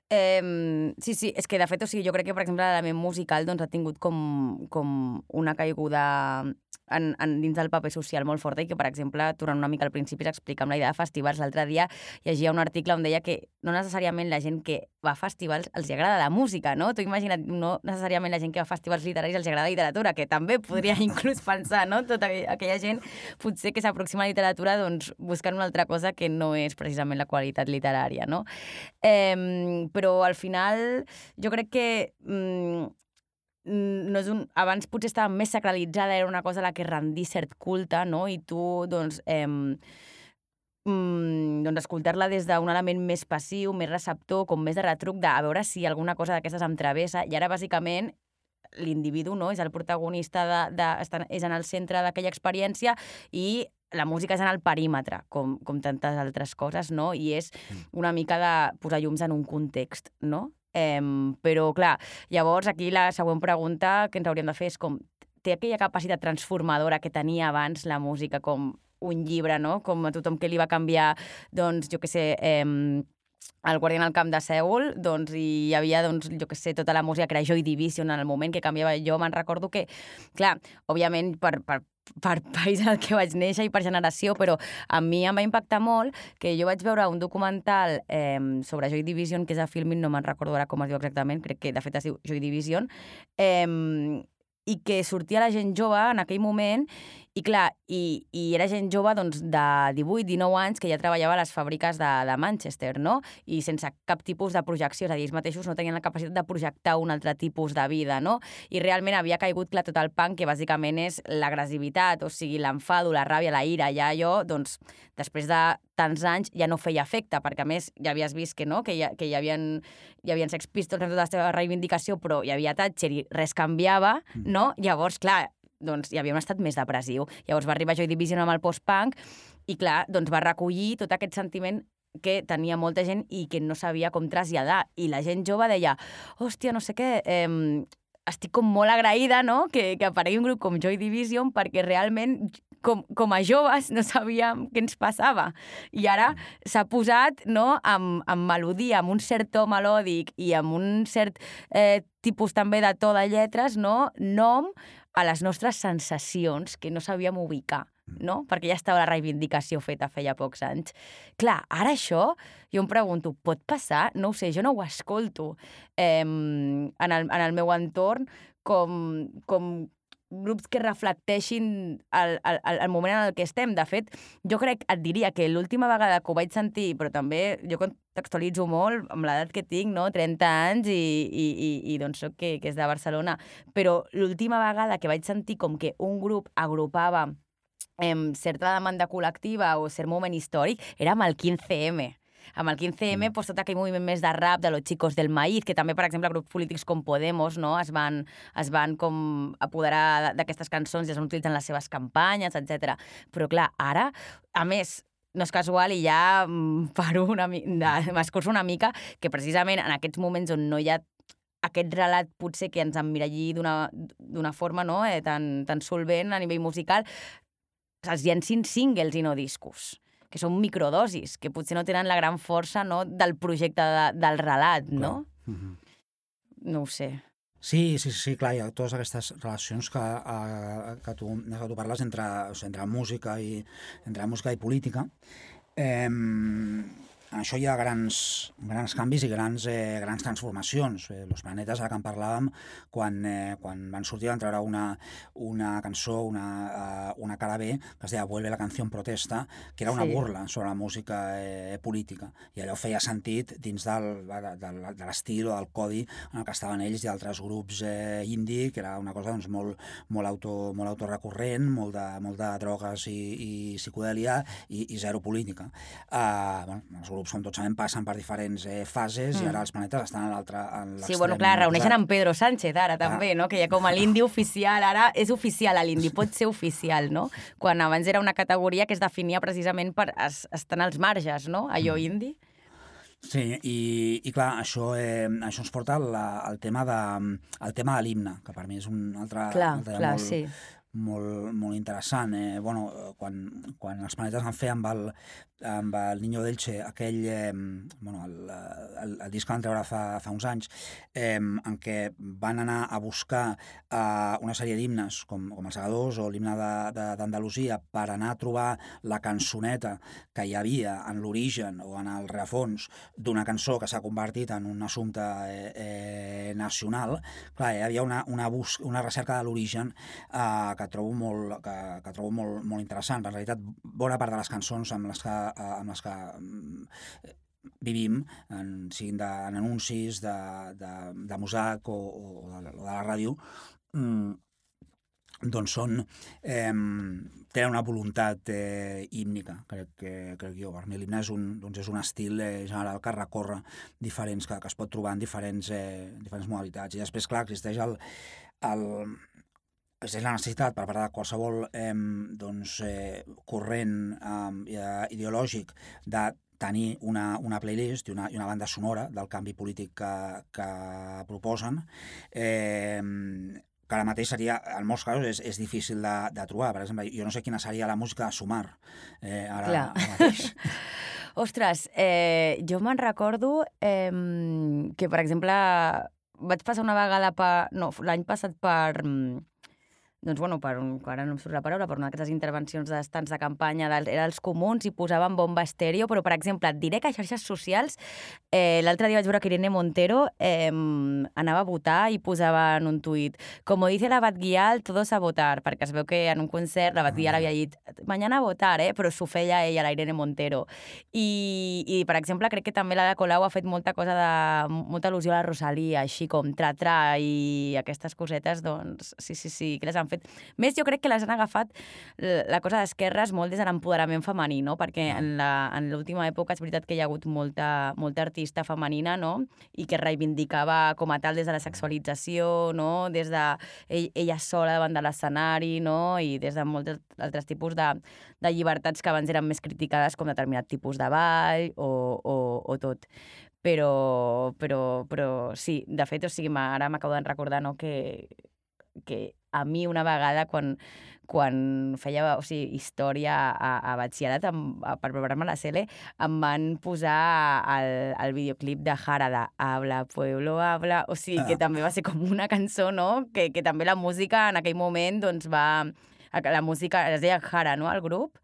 Sí, és que de fet, o sigui, jo crec que, per exemple, l'element musical doncs, ha tingut com una caiguda dins del paper social molt forta i que, per exemple, tornant una mica al principi s'explica amb la idea de festivals. L'altre dia llegia un article on deia que no necessàriament la gent que va a festivals els agrada la música, no? Tu imagina't, no necessàriament la gent que va a festivals literaris els agrada la literatura, que també podria inclús pensar, no? Tota aquella gent potser que s'aproxima a la literatura doncs, buscant una altra cosa que no és precisament la qualitat literària, no? Però al final jo crec que no és abans potser estava més sacralitzada, era una cosa a la que rendir cert culte, no? I tu, doncs escoltar-la des d'un element més passiu, més receptor, com més de retruc, de a veure si alguna cosa d'aquestes em travessa, i ara bàsicament l'individu, no? És el protagonista, és en el centre d'aquella experiència i la música és en el perímetre, com tantes altres coses, no? I és una mica de posar llums en un context, no? Però, clar, llavors aquí la següent pregunta que ens hauríem de fer és com té aquella capacitat transformadora que tenia abans la música com un llibre, no? Com a tothom que li va canviar, doncs, jo què sé, el Guardián al camp de Sèul, doncs hi havia, doncs, jo què sé, tota la música que era Joy Division en el moment que canviava. Jo me'n recordo que, clar, òbviament per país en el que vaig néixer i per generació, però a mi em va impactar molt que jo vaig veure un documental sobre Joy Division, que és a Filmin, no me'n recordo ara com es diu exactament, crec que de fet es diu Joy Division, i que sortia la gent jove en aquell moment, i clar, i era gent jove doncs, de 18-19 anys que ja treballava a les fàbriques de Manchester, no? I sense cap tipus de projecció, és a dir, ells mateixos no tenien la capacitat de projectar un altre tipus de vida, no? I realment havia caigut, clar, tot el punk, que bàsicament és l'agressivitat, o sigui, l'enfado, la ràbia, la ira. Ja allò, doncs, després de tants anys ja no feia efecte, perquè a més ja havies vist que no, que hi havia Sex Pistols en tota la seva reivindicació, però hi havia Thatcher i res canviava, no? Llavors, clar, doncs hi havia un estat més depressiu. Llavors va arribar Joy Division amb el post-punk i, clar, doncs va recollir tot aquest sentiment que tenia molta gent i que no sabia com traslladar. I la gent jove deia, hòstia, no sé què, estic com molt agraïda, no?, que aparegui un grup com Joy Division perquè realment com a joves no sabíem què ens passava. I ara s'ha posat, no?, amb melodia, amb un cert to melòdic i amb un cert tipus també de to de lletres, no?, nom a les nostres sensacions que no sabíem ubicar, no? Perquè ja estava la reivindicació feta feia pocs anys. Clar, ara això, jo em pregunto, pot passar? No ho sé, jo no ho escolto en el meu entorn com grups que reflecteixin el moment en el que estem. De fet, jo crec, et diria que l'última vegada que ho vaig sentir, però també jo contextualitzo molt amb l'edat que tinc, no? 30 anys i doncs soc que és de Barcelona, però l'última vegada que vaig sentir com que un grup agrupava certa demanda col·lectiva o cert moment històric era amb el 15M. Amb el 15M, doncs, tot aquell moviment més de rap de los chicos del maíz, que també, per exemple, grups polítics com Podemos, no?, es van com apoderar d'aquestes cançons i es van utilitzar en les seves campanyes, etc. Però, clar, ara, a més, no és casual i ja m'escurço una mica que precisament en aquests moments on no hi ha aquest relat potser que ens emmiralli d'una forma, no?, tan solvent a nivell musical, els llencin singles i no discos, que són microdosis, que potser no tenen la gran força, no?, del projecte del relat, no? No ho sé. Sí, clar, hi ha totes aquestes relacions que tu parles entre música i política. En això hi ha grans canvis i grans transformacions. Los Planetes, ara que en parlàvem, quan van sortir van treure una cançó, una cara B, que es deia Vuelve la canción protesta, que era una burla sobre la música política. I allò feia sentit dins de l'estil o del codi en el que estaven ells i altres grups indie, que era una cosa doncs, molt autorrecurrent, molt de drogues i psicodèlia i zero política. Els grups, com tots sabem, passen per diferents fases i ara els Planetes estan a l'extrem. Sí, bueno, clar, reuneixen amb Pedro Sánchez ara també, no?, que ja com a l'indi oficial, ara és oficial, l'indi pot ser oficial, no?, quan abans era una categoria que es definia precisament per estar als marges, no?, allò indi. Sí, i clar, això ens porta al tema de l'himne, que per mi és un altre molt interessant. Quan els Planetes van fer amb el Niño d'Elche aquell, el disc que van treure fa uns anys, en què van anar a buscar una sèrie d'himnes com els Segadors o l'himne d'Andalusia per anar a trobar la cançoneta que hi havia en l'origen o en el rerefons d'una cançó que s'ha convertit en un assumpte nacional. Clar, hi havia una recerca de l'origen que trobo molt interessant. En realitat, bona part de les cançons amb les que vivim, siguin en anuncis de Mosaic o de la ràdio, doncs tenen una voluntat hímnica, crec jo. Per mi l'himne és un estil general que recorre diferents, que es pot trobar en diferents modalitats. I després, clar, existeix la necessitat per part de qualsevol corrent ideològic de tenir una playlist i una banda sonora del canvi polític que proposen, que ara mateix seria, en molts casos, és difícil de trobar. Per exemple, jo no sé quina seria la música de Sumar ara mateix. Ostres, jo me'n recordo que, per exemple, vaig passar una vegada l'any passat per... Doncs, bueno, ara no em surt la paraula, per una d'aquestes intervencions d'estants de campanya era els comuns i posaven bomba estèreo, però, per exemple, et diré que a xarxes socials l'altre dia vaig veure que Irene Montero anava a votar i posava en un tuit «Como dice la Batguial, todos a votar», perquè es veu que en un concert la Batguial havia dit «Mañana a votar», però s'ho feia ella, la Irene Montero. I, per exemple, crec que també l'Ada Colau ha fet molta al·lusió a la Rosalía, així com tra-tra i aquestes cosetes, doncs, sí, que les han fet. Més, jo crec que les han agafat la cosa d'esquerres molt des de l'empoderament femení, no? Perquè en l'última època és veritat que hi ha hagut molta artista femenina, no? I que reivindicava com a tal des de la sexualització, no? Des de ella sola davant de l'escenari, no? I des de molts altres tipus de llibertats que abans eren més criticades, com determinat tipus de ball o tot. Però sí, de fet, o sigui, ara m'acabo de recordar, no?, que a mi una vegada, quan feia història a batxillerat, per preparar-me la CL, em van posar el videoclip de Jara, de Habla, Pueblo, Habla, o sigui, que també va ser com una cançó, no?, que també la música en aquell moment, doncs la música, es deia Jara, no?, el grup,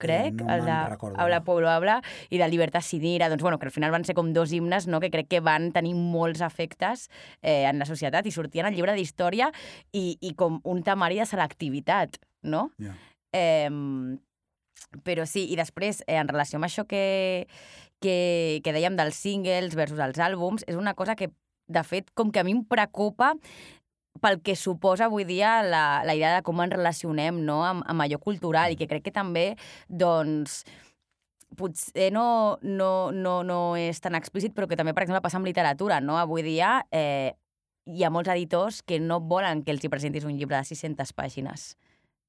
crec, no el de Habla, Pueblo, Habla, i de Libertad sin ira, doncs, bueno, que al final van ser com dos himnes, no?, que crec que van tenir molts efectes en la societat i sortien al llibre d'història i com un temari de selectivitat, no? Yeah. Però sí, i després, en relació amb això que dèiem dels singles versus els àlbums, és una cosa que, de fet, com que a mi em preocupa pel que suposa avui dia la idea de com ens relacionem, no?, amb allò cultural, i que crec que també, doncs, potser no és tan explícit, però que també, per exemple, passa amb literatura, no? Avui dia hi ha molts editors que no volen que els hi presentis un llibre de 600 pàgines,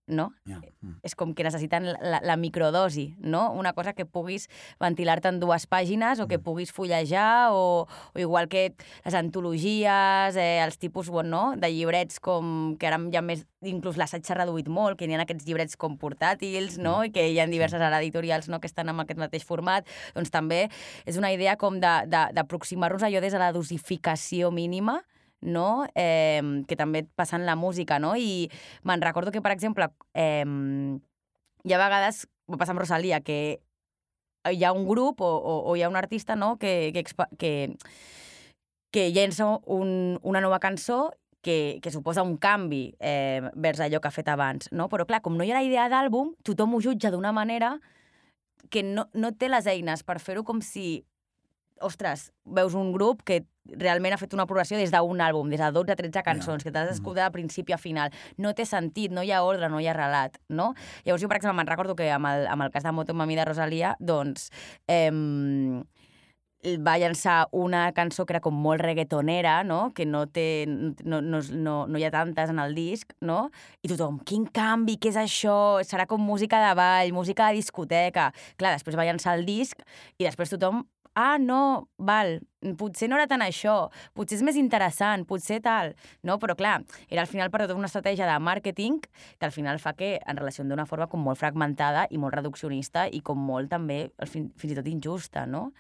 no? Yeah. És com que necessiten la microdosi, no? Una cosa que puguis ventilar-te en 2 pàgines o que puguis fullejar o igual que les antologies, els tipus, no?, de llibrets com que ara hi ha més, inclús l'assaig s'ha reduït molt, que hi ha aquests llibrets com portàtils, no?, i que hi ha diverses editorials, no?, que estan en aquest mateix format, doncs també és una idea com d'aproximar-nos a allò des de la dosificació mínima, no?, que també passa en la música, no? I me'n recordo que, per exemple, hi ha vegades, va passar amb Rosalía, que hi ha un grup o hi ha un artista, no?, que llença una nova cançó que suposa un canvi vers allò que ha fet abans, no? Però, clar, com no hi ha la idea d'àlbum, tothom ho jutja d'una manera que no té les eines per fer-ho, com si, ostres, veus un grup que realment ha fet una progressió des d'un àlbum, des de 12-13 cançons, que t'has d'escoltar de principi a final. No té sentit, no hi ha ordre, no hi ha relat, no? Llavors jo, per exemple, me'n recordo que amb el cas de Moto Mami de Rosalía, doncs, va llançar una cançó que era com molt reggaetonera, no?, que no hi ha tantes en el disc, no? I tothom, quin canvi, què és això? Serà com música de ball, música de discoteca. Clar, després va llançar el disc i després tothom, no, val, potser no era tant això, potser és més interessant, potser tal, no? Però clar, era al final per tota una estratègia de màrqueting que al final fa que en relació d'una forma com molt fragmentada i molt reduccionista i com molt també fins i tot injusta, no?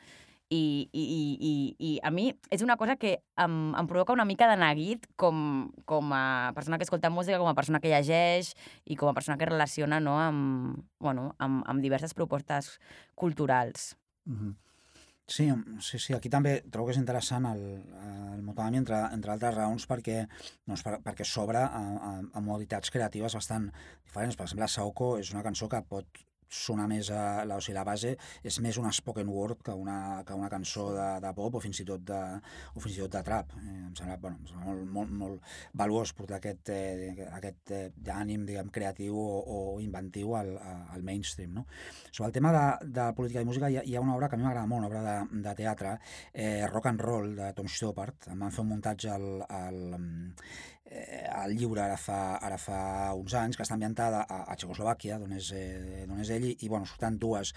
I a mi és una cosa que em provoca una mica de neguit com a persona que escolta música, com a persona que llegeix i com a persona que relaciona, no?, amb diverses propostes culturals. Sí, aquí també trobo que és interessant el Motomami, entre altres raons, perquè s'obre a modalitats creatives bastant diferents. Per exemple, Saoko és una cançó que pot sonar més o sigui, la base és més una spoken word que una cançó de pop o fins i tot de trap. Em sembla molt valuós portar aquest ànim, diguem, creatiu o inventiu al mainstream, no? Sobre el tema de política i música hi ha una obra que a mi m'agrada molt, una obra de teatre, Rock and Roll, de Tom Stoppard. Em van fer un muntatge al lliure ara fa uns anys, que està ambientada a Txecoslovàquia, d'on és ell, i surten dues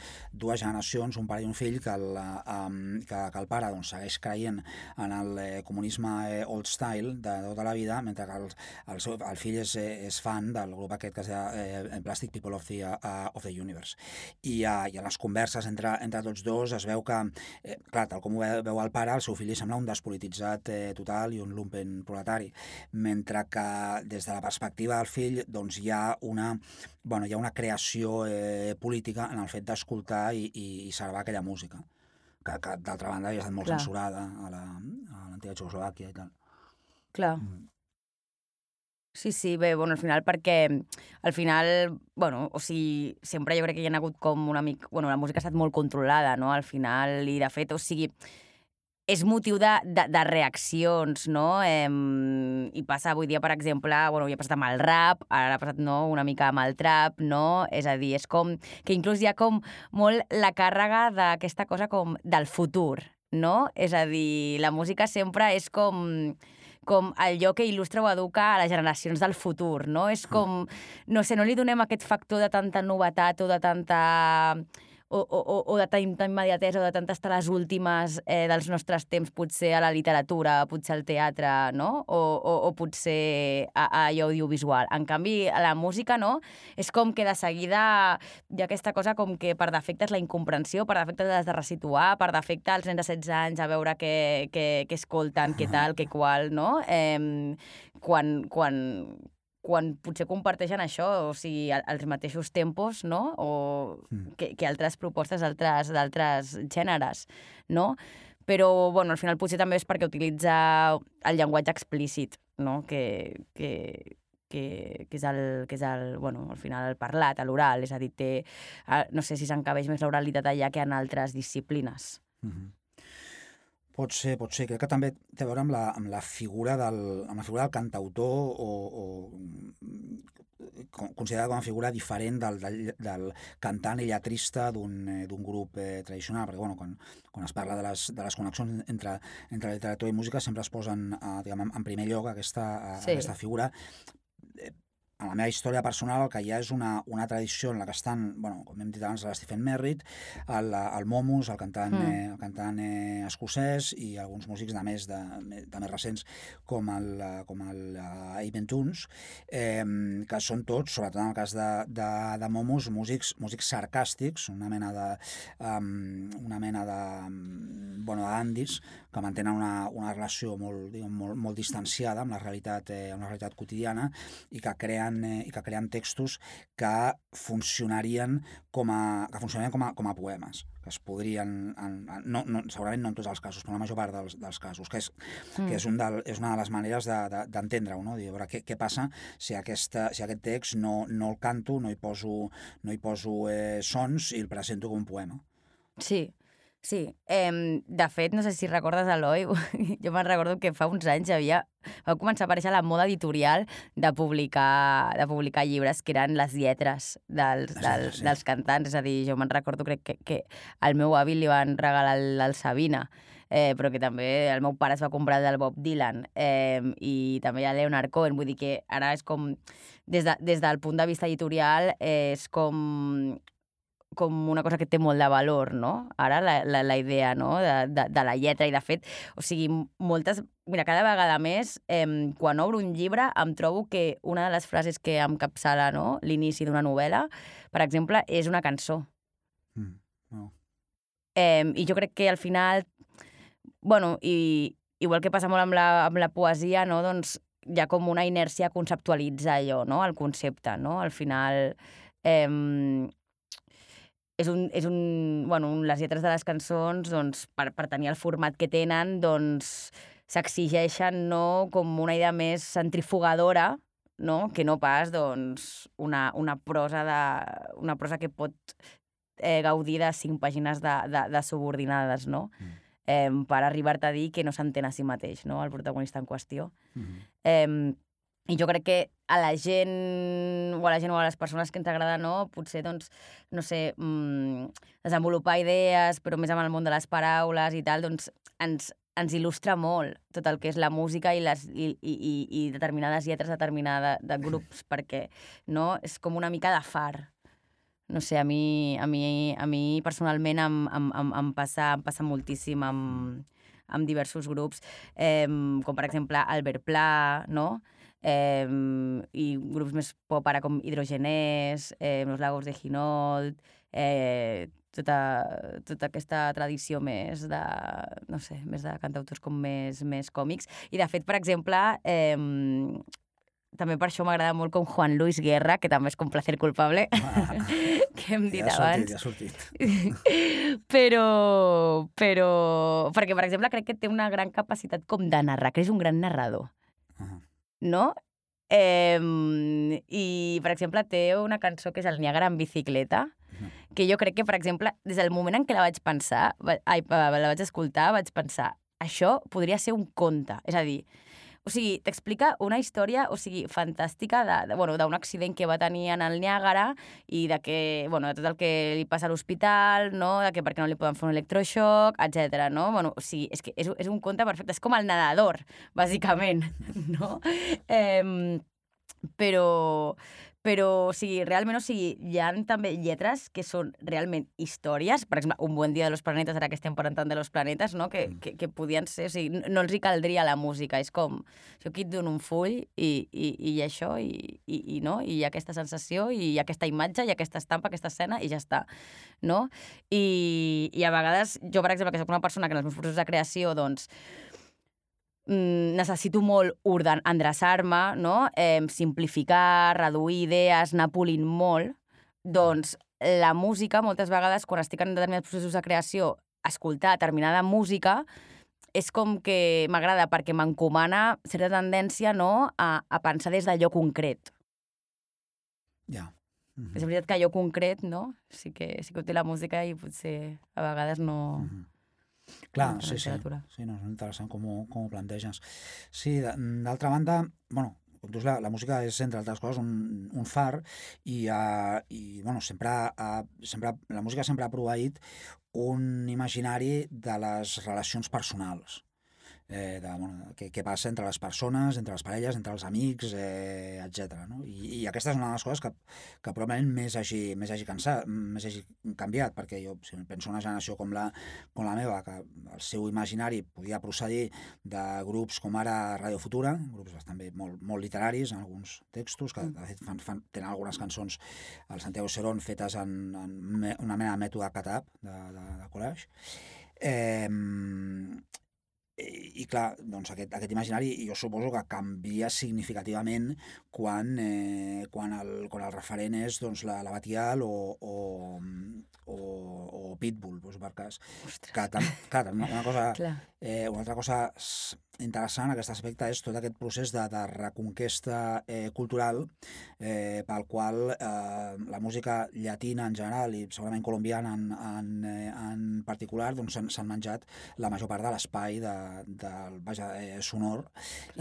generacions, un pare i un fill, que el pare segueix creient en el comunisme old style de tota la vida, mentre que el fill és fan del grup aquest que es deia Plastic People of the Universe. I en les converses entre tots dos es veu que, clar, tal com ho veu el pare, el seu fill li sembla un despolititzat total i un lumpen proletari, mentre que des de la perspectiva del fill doncs hi ha una creació política en el fet d'escoltar i servar aquella música, que d'altra banda ja ha estat molt censurada a l'antiga Txecoslovàquia i tal. Clar. Sí, bé, al final o sigui, sempre jo crec que hi ha hagut com una mica... la música ha estat molt controlada, no?, al final, i de fet, o sigui, és motiu de reaccions, no? I passa avui dia, per exemple, ja ha passat amb el rap, ara ha passat una mica amb el trap, no? És a dir, és com que inclús hi ha com molt la càrrega d'aquesta cosa com del futur, no? És a dir, la música sempre és com allò que il·lustra o educa a les generacions del futur, no? És com, no sé, no li donem aquest factor de tanta novetat o de tanta... o de tanta immediatesa o de tantes estar les últimes dels nostres temps, potser a la literatura, potser al teatre, no? O potser a audiovisual. En canvi, a la música, no? És com que de seguida hi ha aquesta cosa com que per defecte és la incomprensió, per defecte l'has de resituar, per defecte els nens de 16 anys a veure què escolten, què tal, què qual, no? Quan potser comparteixen això, o sigui, els mateixos tempos, no?, o que altres propostes d'altres gèneres, no? Però, al final potser també és perquè utilitza el llenguatge explícit, no?, que és al final el parlat, l'oral, és a dir, no sé si s'encabeix més l'oralitat allà que en altres disciplines. Pot ser. Crec que també té a veure amb la figura del cantautor o considerada com a figura diferent del cantant i lletrista d'un grup tradicional, perquè quan es parla de les connexions entre literatura i música sempre es posen en primer lloc aquesta figura. En la meva història personal el que hi ha és una tradició en la que estan, com hem dit abans, l'Stephen Merritt, el Momus, el cantant escocès, i alguns músics de més recents com el Aben Tunes, que són tots, sobretot en el cas de Momus, músics sarcàstics, una mena de andis que mantenen una relació molt distanciada amb la realitat quotidiana i que creen textos que funcionarien com a poemes, que es podrien, segurament no en tots els casos, però en la major part dels casos, que és una de les maneres d'entendre-ho, no? Dir, a veure, què passa si aquest text no el canto, no hi poso sons i el presento com un poema. Sí. De fet, no sé si recordes, Eloi, jo me'n recordo que fa uns anys va començar a aparèixer la moda editorial de publicar llibres que eren les lletres dels cantants. És a dir, jo me'n recordo, crec que al meu avi li van regalar el Sabina, però que també el meu pare es va comprar del Bob Dylan, i també hi ha Leonard Cohen. Vull dir que ara és com, des del punt de vista editorial, és com una cosa que té molt de valor, no? Ara la idea, no?, de la lletra, i de fet, o sigui, cada vegada més, quan obro un llibre, em trobo que una de les frases que encapçala, no?, l'inici d'una novel·la, per exemple, és una cançó. I jo crec que al final, igual que passa molt amb la poesia, no?, doncs hi ha com una inèrcia a conceptualitzar allò, no?, el concepte, no? Al final... les lletres de les cançons, doncs, per tenir el format que tenen, doncs, s'exigeixen, no?, com una idea més centrifugadora, no? Que no pas, doncs, una prosa que pot gaudir de 5 pàgines de subordinades, no? Per arribar-te a dir que no s'entén a si mateix, no? El protagonista en qüestió. I jo crec que a la gent o a les persones que ens agrada, no? Potser, doncs, no sé, desenvolupar idees, però més amb el món de les paraules i tal, doncs ens il·lustra molt tot el que és la música i determinades lletres de grups, perquè, no? És com una mica de far. No sé, a mi personalment em passa moltíssim amb diversos grups, com per exemple Albert Pla, no? I grups més pop ara com Hidrogenés, Los Lagos de Ginold, tota aquesta tradició més de, no sé, més de cantautors com més còmics. I de fet, per exemple, també per això m'agrada molt com Juan Luis Guerra, que també és com Placer Culpable, que hem dit abans. Ja ha sortit. Però, perquè, per exemple, crec que té una gran capacitat com de narrar, que és un gran narrador, no? I, per exemple, té una cançó que és el Niàgara en bicicleta, que jo crec que, per exemple, des del moment en què la vaig escoltar, vaig pensar, això podria ser un conte, és a dir, o sigui, t'explica una història, o sigui, fantàstica d'un accident que va tenir en el Niàgara i de tot el que li passa a l'hospital, no? De que per què no li poden fer un electroxoc, etc. No? Bueno, o sigui, és que és un conte perfecte, és com el nedador, bàsicament, no? Però, o sigui, realment, o sigui, hi ha també lletres que són realment històries. Per exemple, Un buen dia de los planetes, ara que estem parlant tant de los planetes, no? Que podien ser, o sigui, no els hi caldria la música. És com, jo aquí et dono un full i això, no? I hi ha aquesta sensació, i hi ha aquesta imatge, i aquesta estampa, aquesta escena, i ja està, no? I a vegades, jo, per exemple, que soc una persona que en els meus processos de creació, doncs, necessito molt endreçar-me, no? Simplificar, reduir idees, anar polint molt, doncs la música, moltes vegades, quan estic en determinats processos de creació, escoltar determinada música és com que m'agrada perquè m'encomana certa tendència, no?, a pensar des d'allò concret. Ja. És veritat que allò concret, no?, sí que ho té la música i potser a vegades no... Clar, sí, no, és interessant com ho planteges. Sí, d'altra banda, bueno, com dius, la música és, entre altres coses, un far i sempre la música sempre ha proveït un imaginari de les relacions personals. Què passa entre les persones, entre les parelles, entre els amics, etc. No? I aquesta és una de les coses que probablement més hagi canviat, perquè jo, si penso en una generació com la meva, que el seu imaginari podia procedir de grups com ara Radio Futura, grups bastant bé, molt literaris en alguns textos, que de fet tenen algunes cançons al Santiago Serón fetes en una mena de mètode Catap de collage. I clar, doncs aquest imaginari jo suposo que canvia significativament quan el referent és doncs, la Batial o Pitbull, doncs, per cas. Clar, una altra cosa interessant en aquest aspecte és tot aquest procés de reconquesta cultural pel qual la música llatina en general i segurament colombiana en particular doncs s'han menjat la major part de l'espai del sonor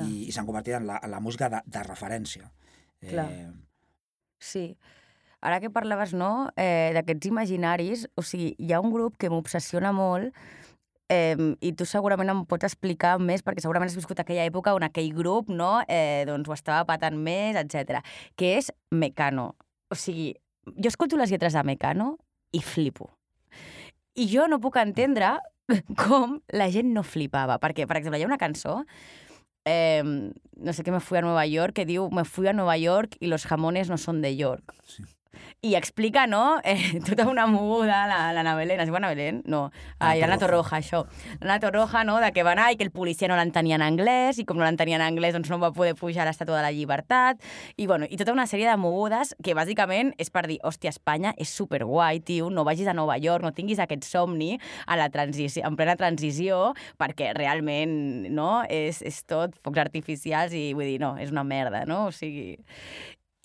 i s'han convertit en la música de referència. Clar. Sí. Ara que parlaves, no?, d'aquests imaginaris, o sigui, hi ha un grup que m'obsessiona molt i tu segurament em pots explicar més perquè segurament has viscut aquella època on aquell grup, no?, doncs ho estava patant més, etc. Que és Mecano. O sigui, jo escolto les lletres de Mecano i flipo. I jo no puc entendre com la gent no flipava. Perquè, per exemple, hi ha una cançó, no sé què, Me fui a Nueva York, que diu Me fui a Nueva York y los jamones no son de York. Sí. I explica, no?, tota una moguda, l'Anna Belén, es diu Anna Belén? No, l'Anna Torroja, això. L'Anna Torroja, no?, de que va anar i que el policia no l'entenia en anglès, i com no l'entenia en anglès, doncs no va poder pujar a l'Estàtua de la Llibertat, i tota una sèrie de mogudes que bàsicament és per dir, hòstia, Espanya és superguai, tio, no vagis a Nova York, no tinguis aquest somni en plena transició, perquè realment, no?, és tot focs artificials i vull dir, no, és una merda, no? O sigui...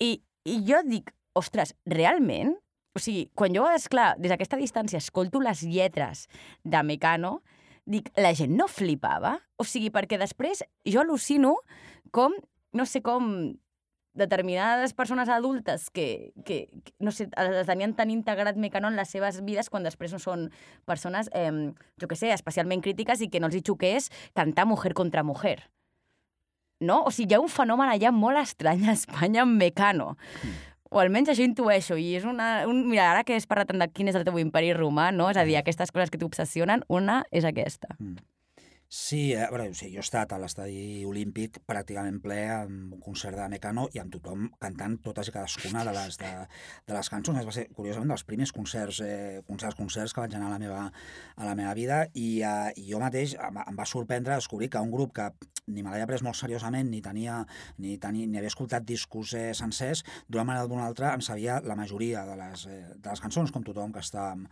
I jo dic, ostres, realment? O sigui, quan jo, esclar, des d'aquesta distància escolto les lletres de Mecano, dic, la gent no flipava? O sigui, perquè després jo al·lucino com, no sé com, determinades persones adultes que no sé, les tenien tan integrat Mecano en les seves vides quan després no són persones, jo què sé, especialment crítiques i que no els hi xoqués cantar Mujer contra Mujer. No? O sigui, hi ha un fenomen allà molt estrany a Espanya amb Mecano. O almenys això intueixo. I és mira, ara que has parlat de quin és el teu imperi romà, no? És a dir, aquestes coses que t'obsessionen, una és aquesta. Sí, a veure, jo he estat a l'estadi olímpic pràcticament ple amb un concert de Mecano i amb tothom cantant totes i cadascuna de les cançons. Va ser, curiosament, dels primers concerts que vaig anar a la meva vida i jo mateix em va sorprendre descobrir que un grup que ni me l'havia pres molt seriosament ni havia escoltat discos sencers, d'una manera o d'una altra em sabia la majoria de les cançons, com tothom que estàvem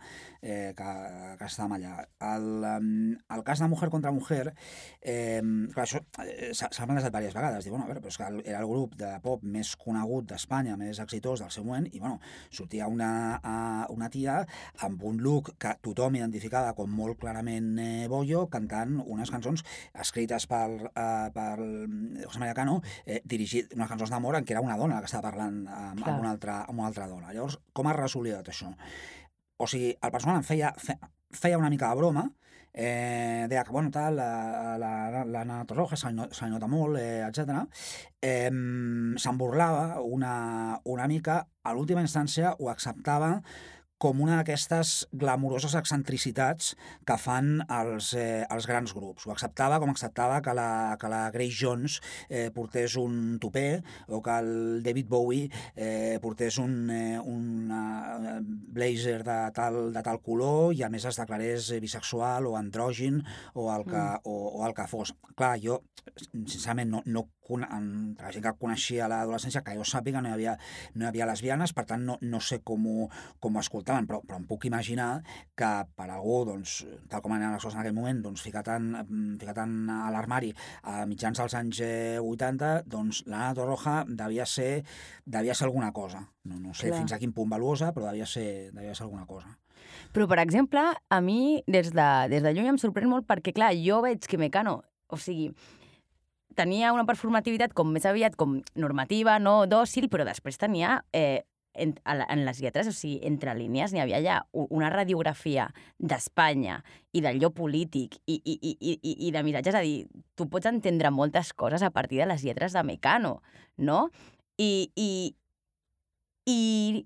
allà. El cas de Mujer contra Mujer, clar, això s'ha plantejat diverses vegades. Diu, bueno, a veure, però és que era el grup de pop més conegut d'Espanya, més exitós del seu moment, i bueno, sortia una tia amb un look que tothom identificava com molt clarament bollo, cantant unes cançons escrites per José María Cano, dirigit unes cançons d'amor en què era una dona que estava parlant amb una altra dona. Llavors, com es resolia tot això? O sigui, el personal em feia una mica de broma, deia que, bueno, tal, l'Anna Torroja se li nota molt, etc. Se'n burlava una mica, a l'última instància ho acceptava com una d'aquestes glamuroses excentricitats que fan els grans grups. Ho acceptava com acceptava que la Grace Jones portés un tupé o que el David Bowie portés un blazer de tal color i a més es declarés bisexual o andrògin o el que fos. Clar, jo, sincerament, entre la gent que coneixia a l'adolescència, que jo sàpiga, no hi havia lesbianes, per tant no sé com ho escoltaven, però em puc imaginar que per algú, doncs, tal com anaven les coses en aquell moment, doncs, ficat a l'armari a mitjans dels anys 80, doncs l'Anna Torroja devia ser alguna cosa. No sé fins a quin punt valuosa, però devia ser alguna cosa. Però, per exemple, a mi, des de lluny em sorprèn molt perquè, clar, jo veig que Mecano, o sigui, tenia una performativitat com més aviat com normativa, no dòcil, però després tenia en les lletres, o sigui, entre línies n'hi havia ja una radiografia d'Espanya i d'allò polític i de missatges, és a dir, tu pots entendre moltes coses a partir de les lletres de Mecano, no? I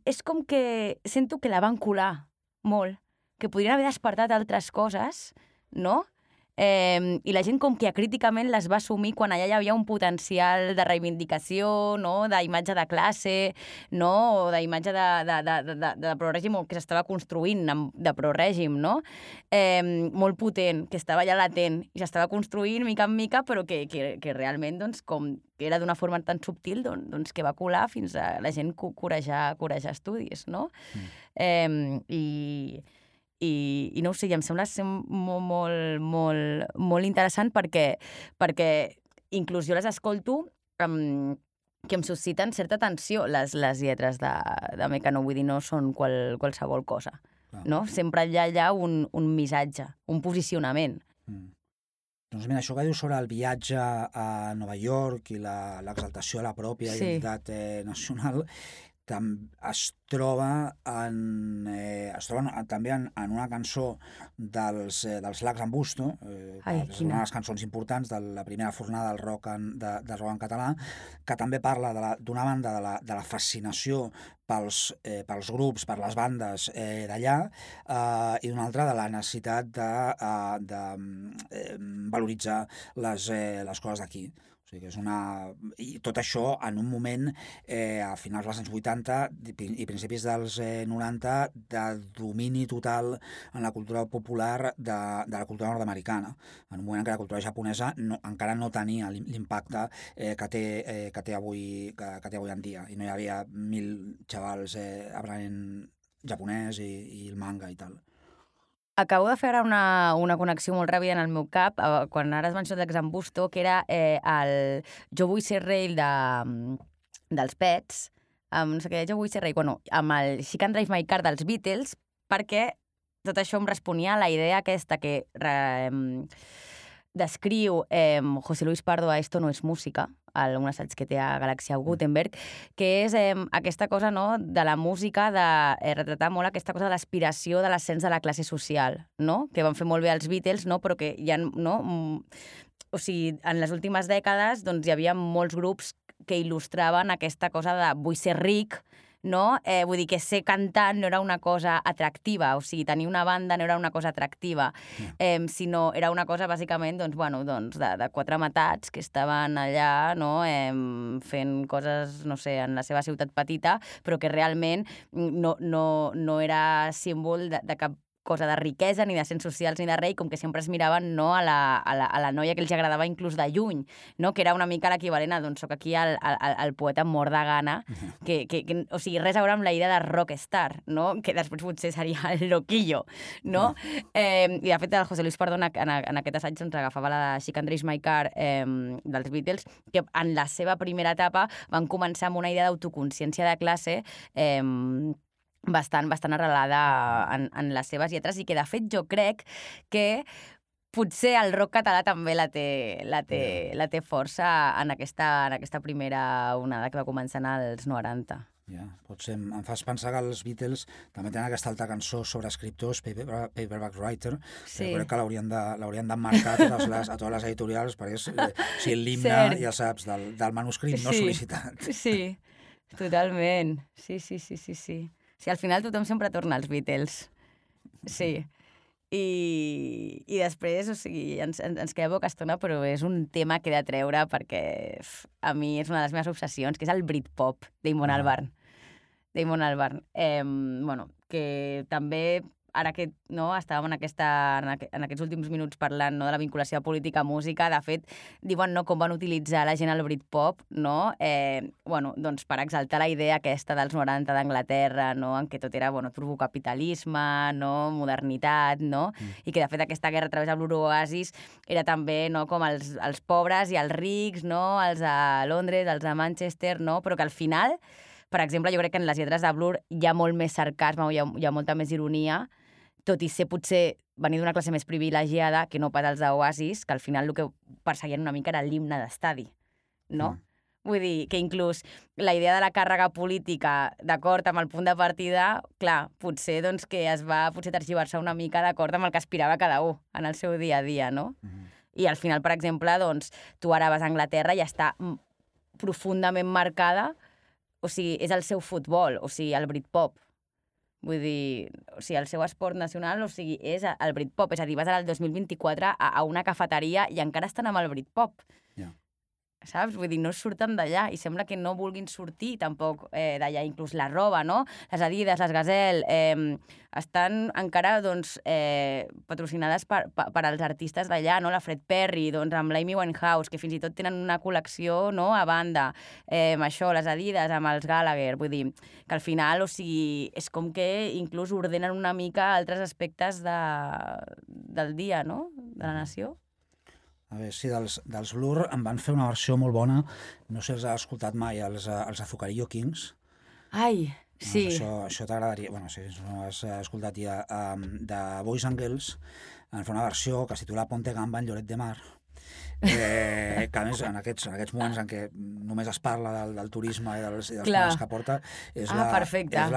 és com que sento que la van colar molt, que podrien haver despertat altres coses, no? I la gent com que acríticament les va assumir quan allà hi havia un potencial de reivindicació, no? D'imatge de classe, no? O d'imatge de prorègim que s'estava construint de prorègim, no? Molt potent, que estava ja latent i s'estava construint mica en mica, però que realment, doncs, com que era d'una forma tan subtil, doncs que va colar fins a la gent corejar estudis, no? I no ho sé, em sembla ser molt interessant perquè inclús jo les escolto que em susciten certa tensió les lletres de Mecano, vull dir, no són qualsevol cosa, no? Sempre hi ha un missatge, un posicionament. Doncs mira, això que dius sobre el viatge a Nova York i l'exaltació de la pròpia identitat nacional es troba també en una cançó dels Lacs en Busto, que és una de les cançons importants de la primera fornada del rock en català, que també parla d'una banda de la fascinació pels grups, per les bandes d'allà, i d'una altra de la necessitat de valoritzar les coses d'aquí. O sigui que és una... I tot això en un moment, a finals dels anys 80 i principis dels 90, de domini total en la cultura popular de la cultura nord-americana. En un moment en què la cultura japonesa encara no tenia l'impacte que té avui en dia. I no hi havia 1.000 xavals aprenent japonès i el manga i tal. Acabo de fer ara una connexió molt ràpida en el meu cap, quan ara has mencionat l'exambusto, que era el Jo vull ser rei dels Pets, no sé què, Jo vull ser rei, bueno, amb el She Can Drive My Car dels Beatles, perquè tot això em responia a la idea aquesta que descriu José Luis Pardo a Esto no es música, un assaig que té a Galàxia Gutenberg, que és aquesta cosa, no?, de la música, de retratar molt aquesta cosa de l'aspiració de l'ascens de la classe social, no?, que van fer molt bé els Beatles, no?, però que ja, no? O sigui, en les últimes dècades doncs, hi havia molts grups que il·lustraven aquesta cosa de vull ser ric, no? Vull dir que ser cantant no era una cosa atractiva, o sigui, tenir una banda no era una cosa atractiva, sinó era una cosa, bàsicament, doncs, bueno, doncs, de quatre matats que estaven allà, no?, fent coses, no sé, en la seva ciutat petita, però que realment no era símbol de cap cosa de riquesa, ni d'ascens socials, ni de rei, com que sempre es miraven, no, a la noia que els agradava inclús de lluny, no? Que era una mica l'equivalent a, doncs, soc aquí el poeta mort de gana, que, o sigui, res a veure amb la idea de rockstar, no? Que després potser seria el loquillo, no? I de fet el José Luis Pardo en aquest assaig doncs, agafava la She Can Drive My Car dels Beatles, que en la seva primera etapa van començar amb una idea d'autoconsciència de classe bastant arrelada en les seves lletres, i que, de fet, jo crec que potser el rock català també la té força en aquesta primera onada que va començar als 90. Ja, potser em fas pensar que els Beatles també tenen aquesta altra cançó sobre escriptors, Paperback Writer, sí. Crec que l'haurien d'emmarcar a totes les editorials, perquè és l'himne, ja saps, del manuscrit no sol·licitat. Sí, totalment. Sí. Sí, al final tothom sempre torna als Beatles. Sí. I després, o sigui, ens queda poca estona, però és un tema que he de treure perquè a mi és una de les meves obsessions, que és el Britpop d'Eamon Albarn. Bueno, que també, ara que no, estàvem en aquests últims minuts parlant, no, de la vinculació política a música, de fet, diuen, no, com van utilitzar la gent el Britpop, no? Bueno, doncs per exaltar la idea aquesta dels 90 d'Anglaterra, no?, en què tot era, bueno, turbocapitalisme, no?, modernitat, no? I que, de fet, aquesta guerra a través de Blur Oasis era també, no?, com els pobres i els rics, no?, els de Londres, els de Manchester, no?, però que al final, per exemple, jo crec que en les lletres de Blur hi ha molt més sarcasme, hi ha molta més ironia, tot i ser potser venir d'una classe més privilegiada que no pas els d'Oasis, que al final el que perseguien una mica era l'himne d'estadi, no? Vull dir que inclús la idea de la càrrega política d'acord amb el punt de partida, clar, potser doncs, que es va tergiversar una mica d'acord amb el que aspirava cada un en el seu dia a dia, no? I al final, per exemple, doncs, tu ara vas a Anglaterra i està profundament marcada, o sigui, és el seu futbol, o sigui, el Britpop. Vull dir, o sigui, el seu esport nacional, o sigui, és el Britpop. És a dir, vas ara el 2024 a una cafeteria i encara estan amb el Britpop. Ja. Saps? Vull dir, no surten d'allà i sembla que no vulguin sortir tampoc d'allà. Inclús la roba, no? Les Adidas, les Gazelle, estan encara, doncs, patrocinades per als artistes d'allà, no? La Fred Perry, doncs, amb l'Amy Winehouse, que fins i tot tenen una col·lecció, no?, a banda. Això, les Adidas, amb els Gallagher. Vull dir, que al final, o sigui, és com que inclús ordenen una mica altres aspectes del dia, no?, de la nació. A veure, sí, dels Blur em van fer una versió molt bona, no sé si els has escoltat mai, els Azucarillo Kings. Ai, sí. Això t'agradaria, bueno, si no has escoltat ja, de Boys and Girls, en fa una versió que es titula Ponte Gamba en Lloret de Mar, que a més en aquests moments en què només es parla del turisme i dels plans que porta és la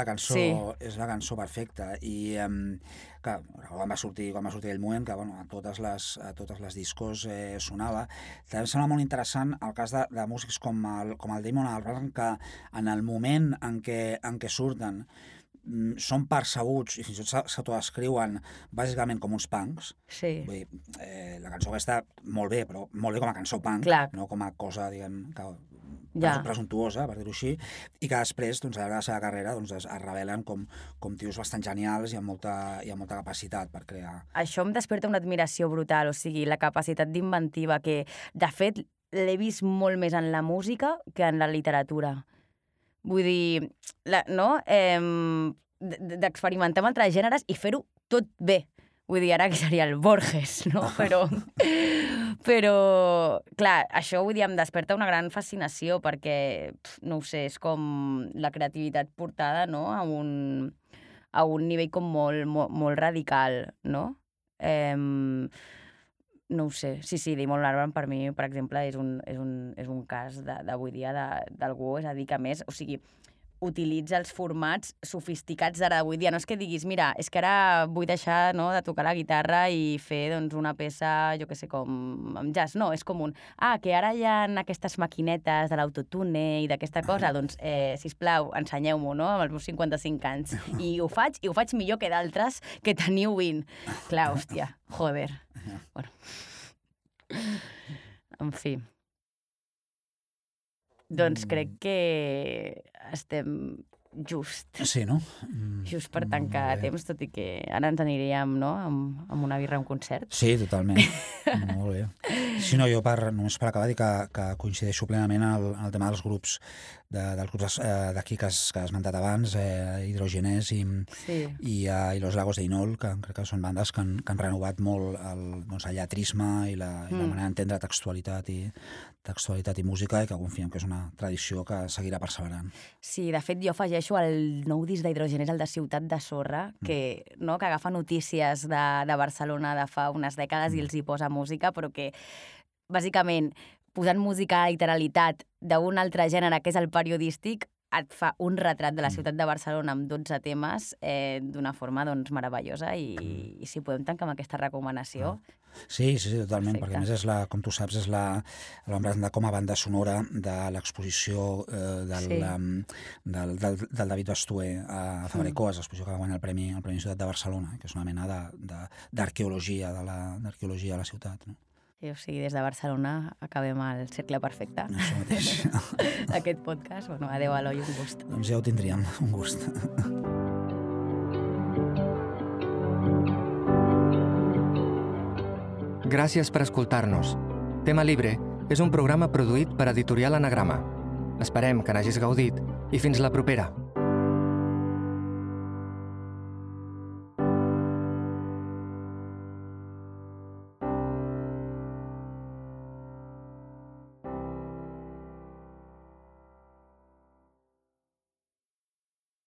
cançó perfecta. I clar, quan va sortir aquell moment que, bueno, a totes les discos sonava. També em sembla molt interessant el cas de músics com el Damon Albarn, que en el moment en què surten són percebuts i fins i tot s'autodescriuen bàsicament com uns punks. Sí. Vull dir, la cançó aquesta, molt bé, però molt bé com a cançó punk, Clar. no com a cosa, diguem, Ja. presuntuosa, per dir-ho així, i que després, doncs, a llarg de la seva carrera, doncs, es revelen com tios bastant genials i amb molta capacitat per crear. Això em desperta una admiració brutal, o sigui, la capacitat d'inventiva que, de fet, l'he vist molt més en la música que en la literatura. Vull dir, d'experimentar amb altres gèneres i fer-ho tot bé. Vull dir, ara que seria el Borges, no? Però, clar, això, vull dir, em desperta una gran fascinació perquè, no ho sé, és com la creativitat portada, no?, a un nivell com molt radical, no? No ho sé. Sí, Damon Albarn per mi, per exemple, és un cas d'avui dia d'algú, és a dir, que a més, o sigui, utilitza els formats sofisticats d'ara d'avui dia. No és que diguis, mira, és que ara vull deixar, no, de tocar la guitarra i fer, doncs, una peça, jo què sé, com amb jazz. No, és com que ara hi ha aquestes maquinetes de l'autotune i d'aquesta cosa, doncs, sisplau, ensenyeu-m'ho, no?, amb els meus 55 anys. I ho faig millor que d'altres que teniu 20. Clar, hòstia, joder. Bueno. En fi. Doncs crec que estem just. Sí, no? Just per tancar temps, tot i que ara ens aniríem, no?, amb una birra a un concert. Sí, totalment. Molt bé. Sí, no, jo només per acabar dir que coincideixo plenament el tema dels grups d'aquí que has esmentat abans, Hidrogenés i Los Lagos de Inol, que crec que són bandes que han renovat molt el lletrisme i la manera d'entendre textualitat i música, i que confiem que és una tradició que seguirà perseverant. Sí, de fet, jo afegeixo el nou disc d'Hidrogenés, el de Ciutat de Sorra, que agafa notícies de Barcelona de fa unes dècades i els hi posa música, però que, bàsicament, posant música a literalitat d'un altre gènere, que és el periodístic, et fa un retrat de la ciutat de Barcelona amb 12 temes d'una forma, doncs, meravellosa, i si podem tancar amb aquesta recomanació. Sí, totalment, perfecte. Perquè a més, com tu saps, la vam presentar com a banda sonora de l'exposició del David Bastué a Fabrecoas, l'exposició que va guanyar el Premi Ciutat de Barcelona, que és una mena d'arqueologia de la ciutat, no? O sigui, des de Barcelona acabem el cercle perfecte. Això mateix. Aquest podcast. Bueno, adéu, Eloi, un gust. Doncs ja ho tindríem, un gust. Gràcies per escoltar-nos. Tema Libre és un programa produït per Editorial Anagrama. Esperem que n'hagis gaudit i fins la propera.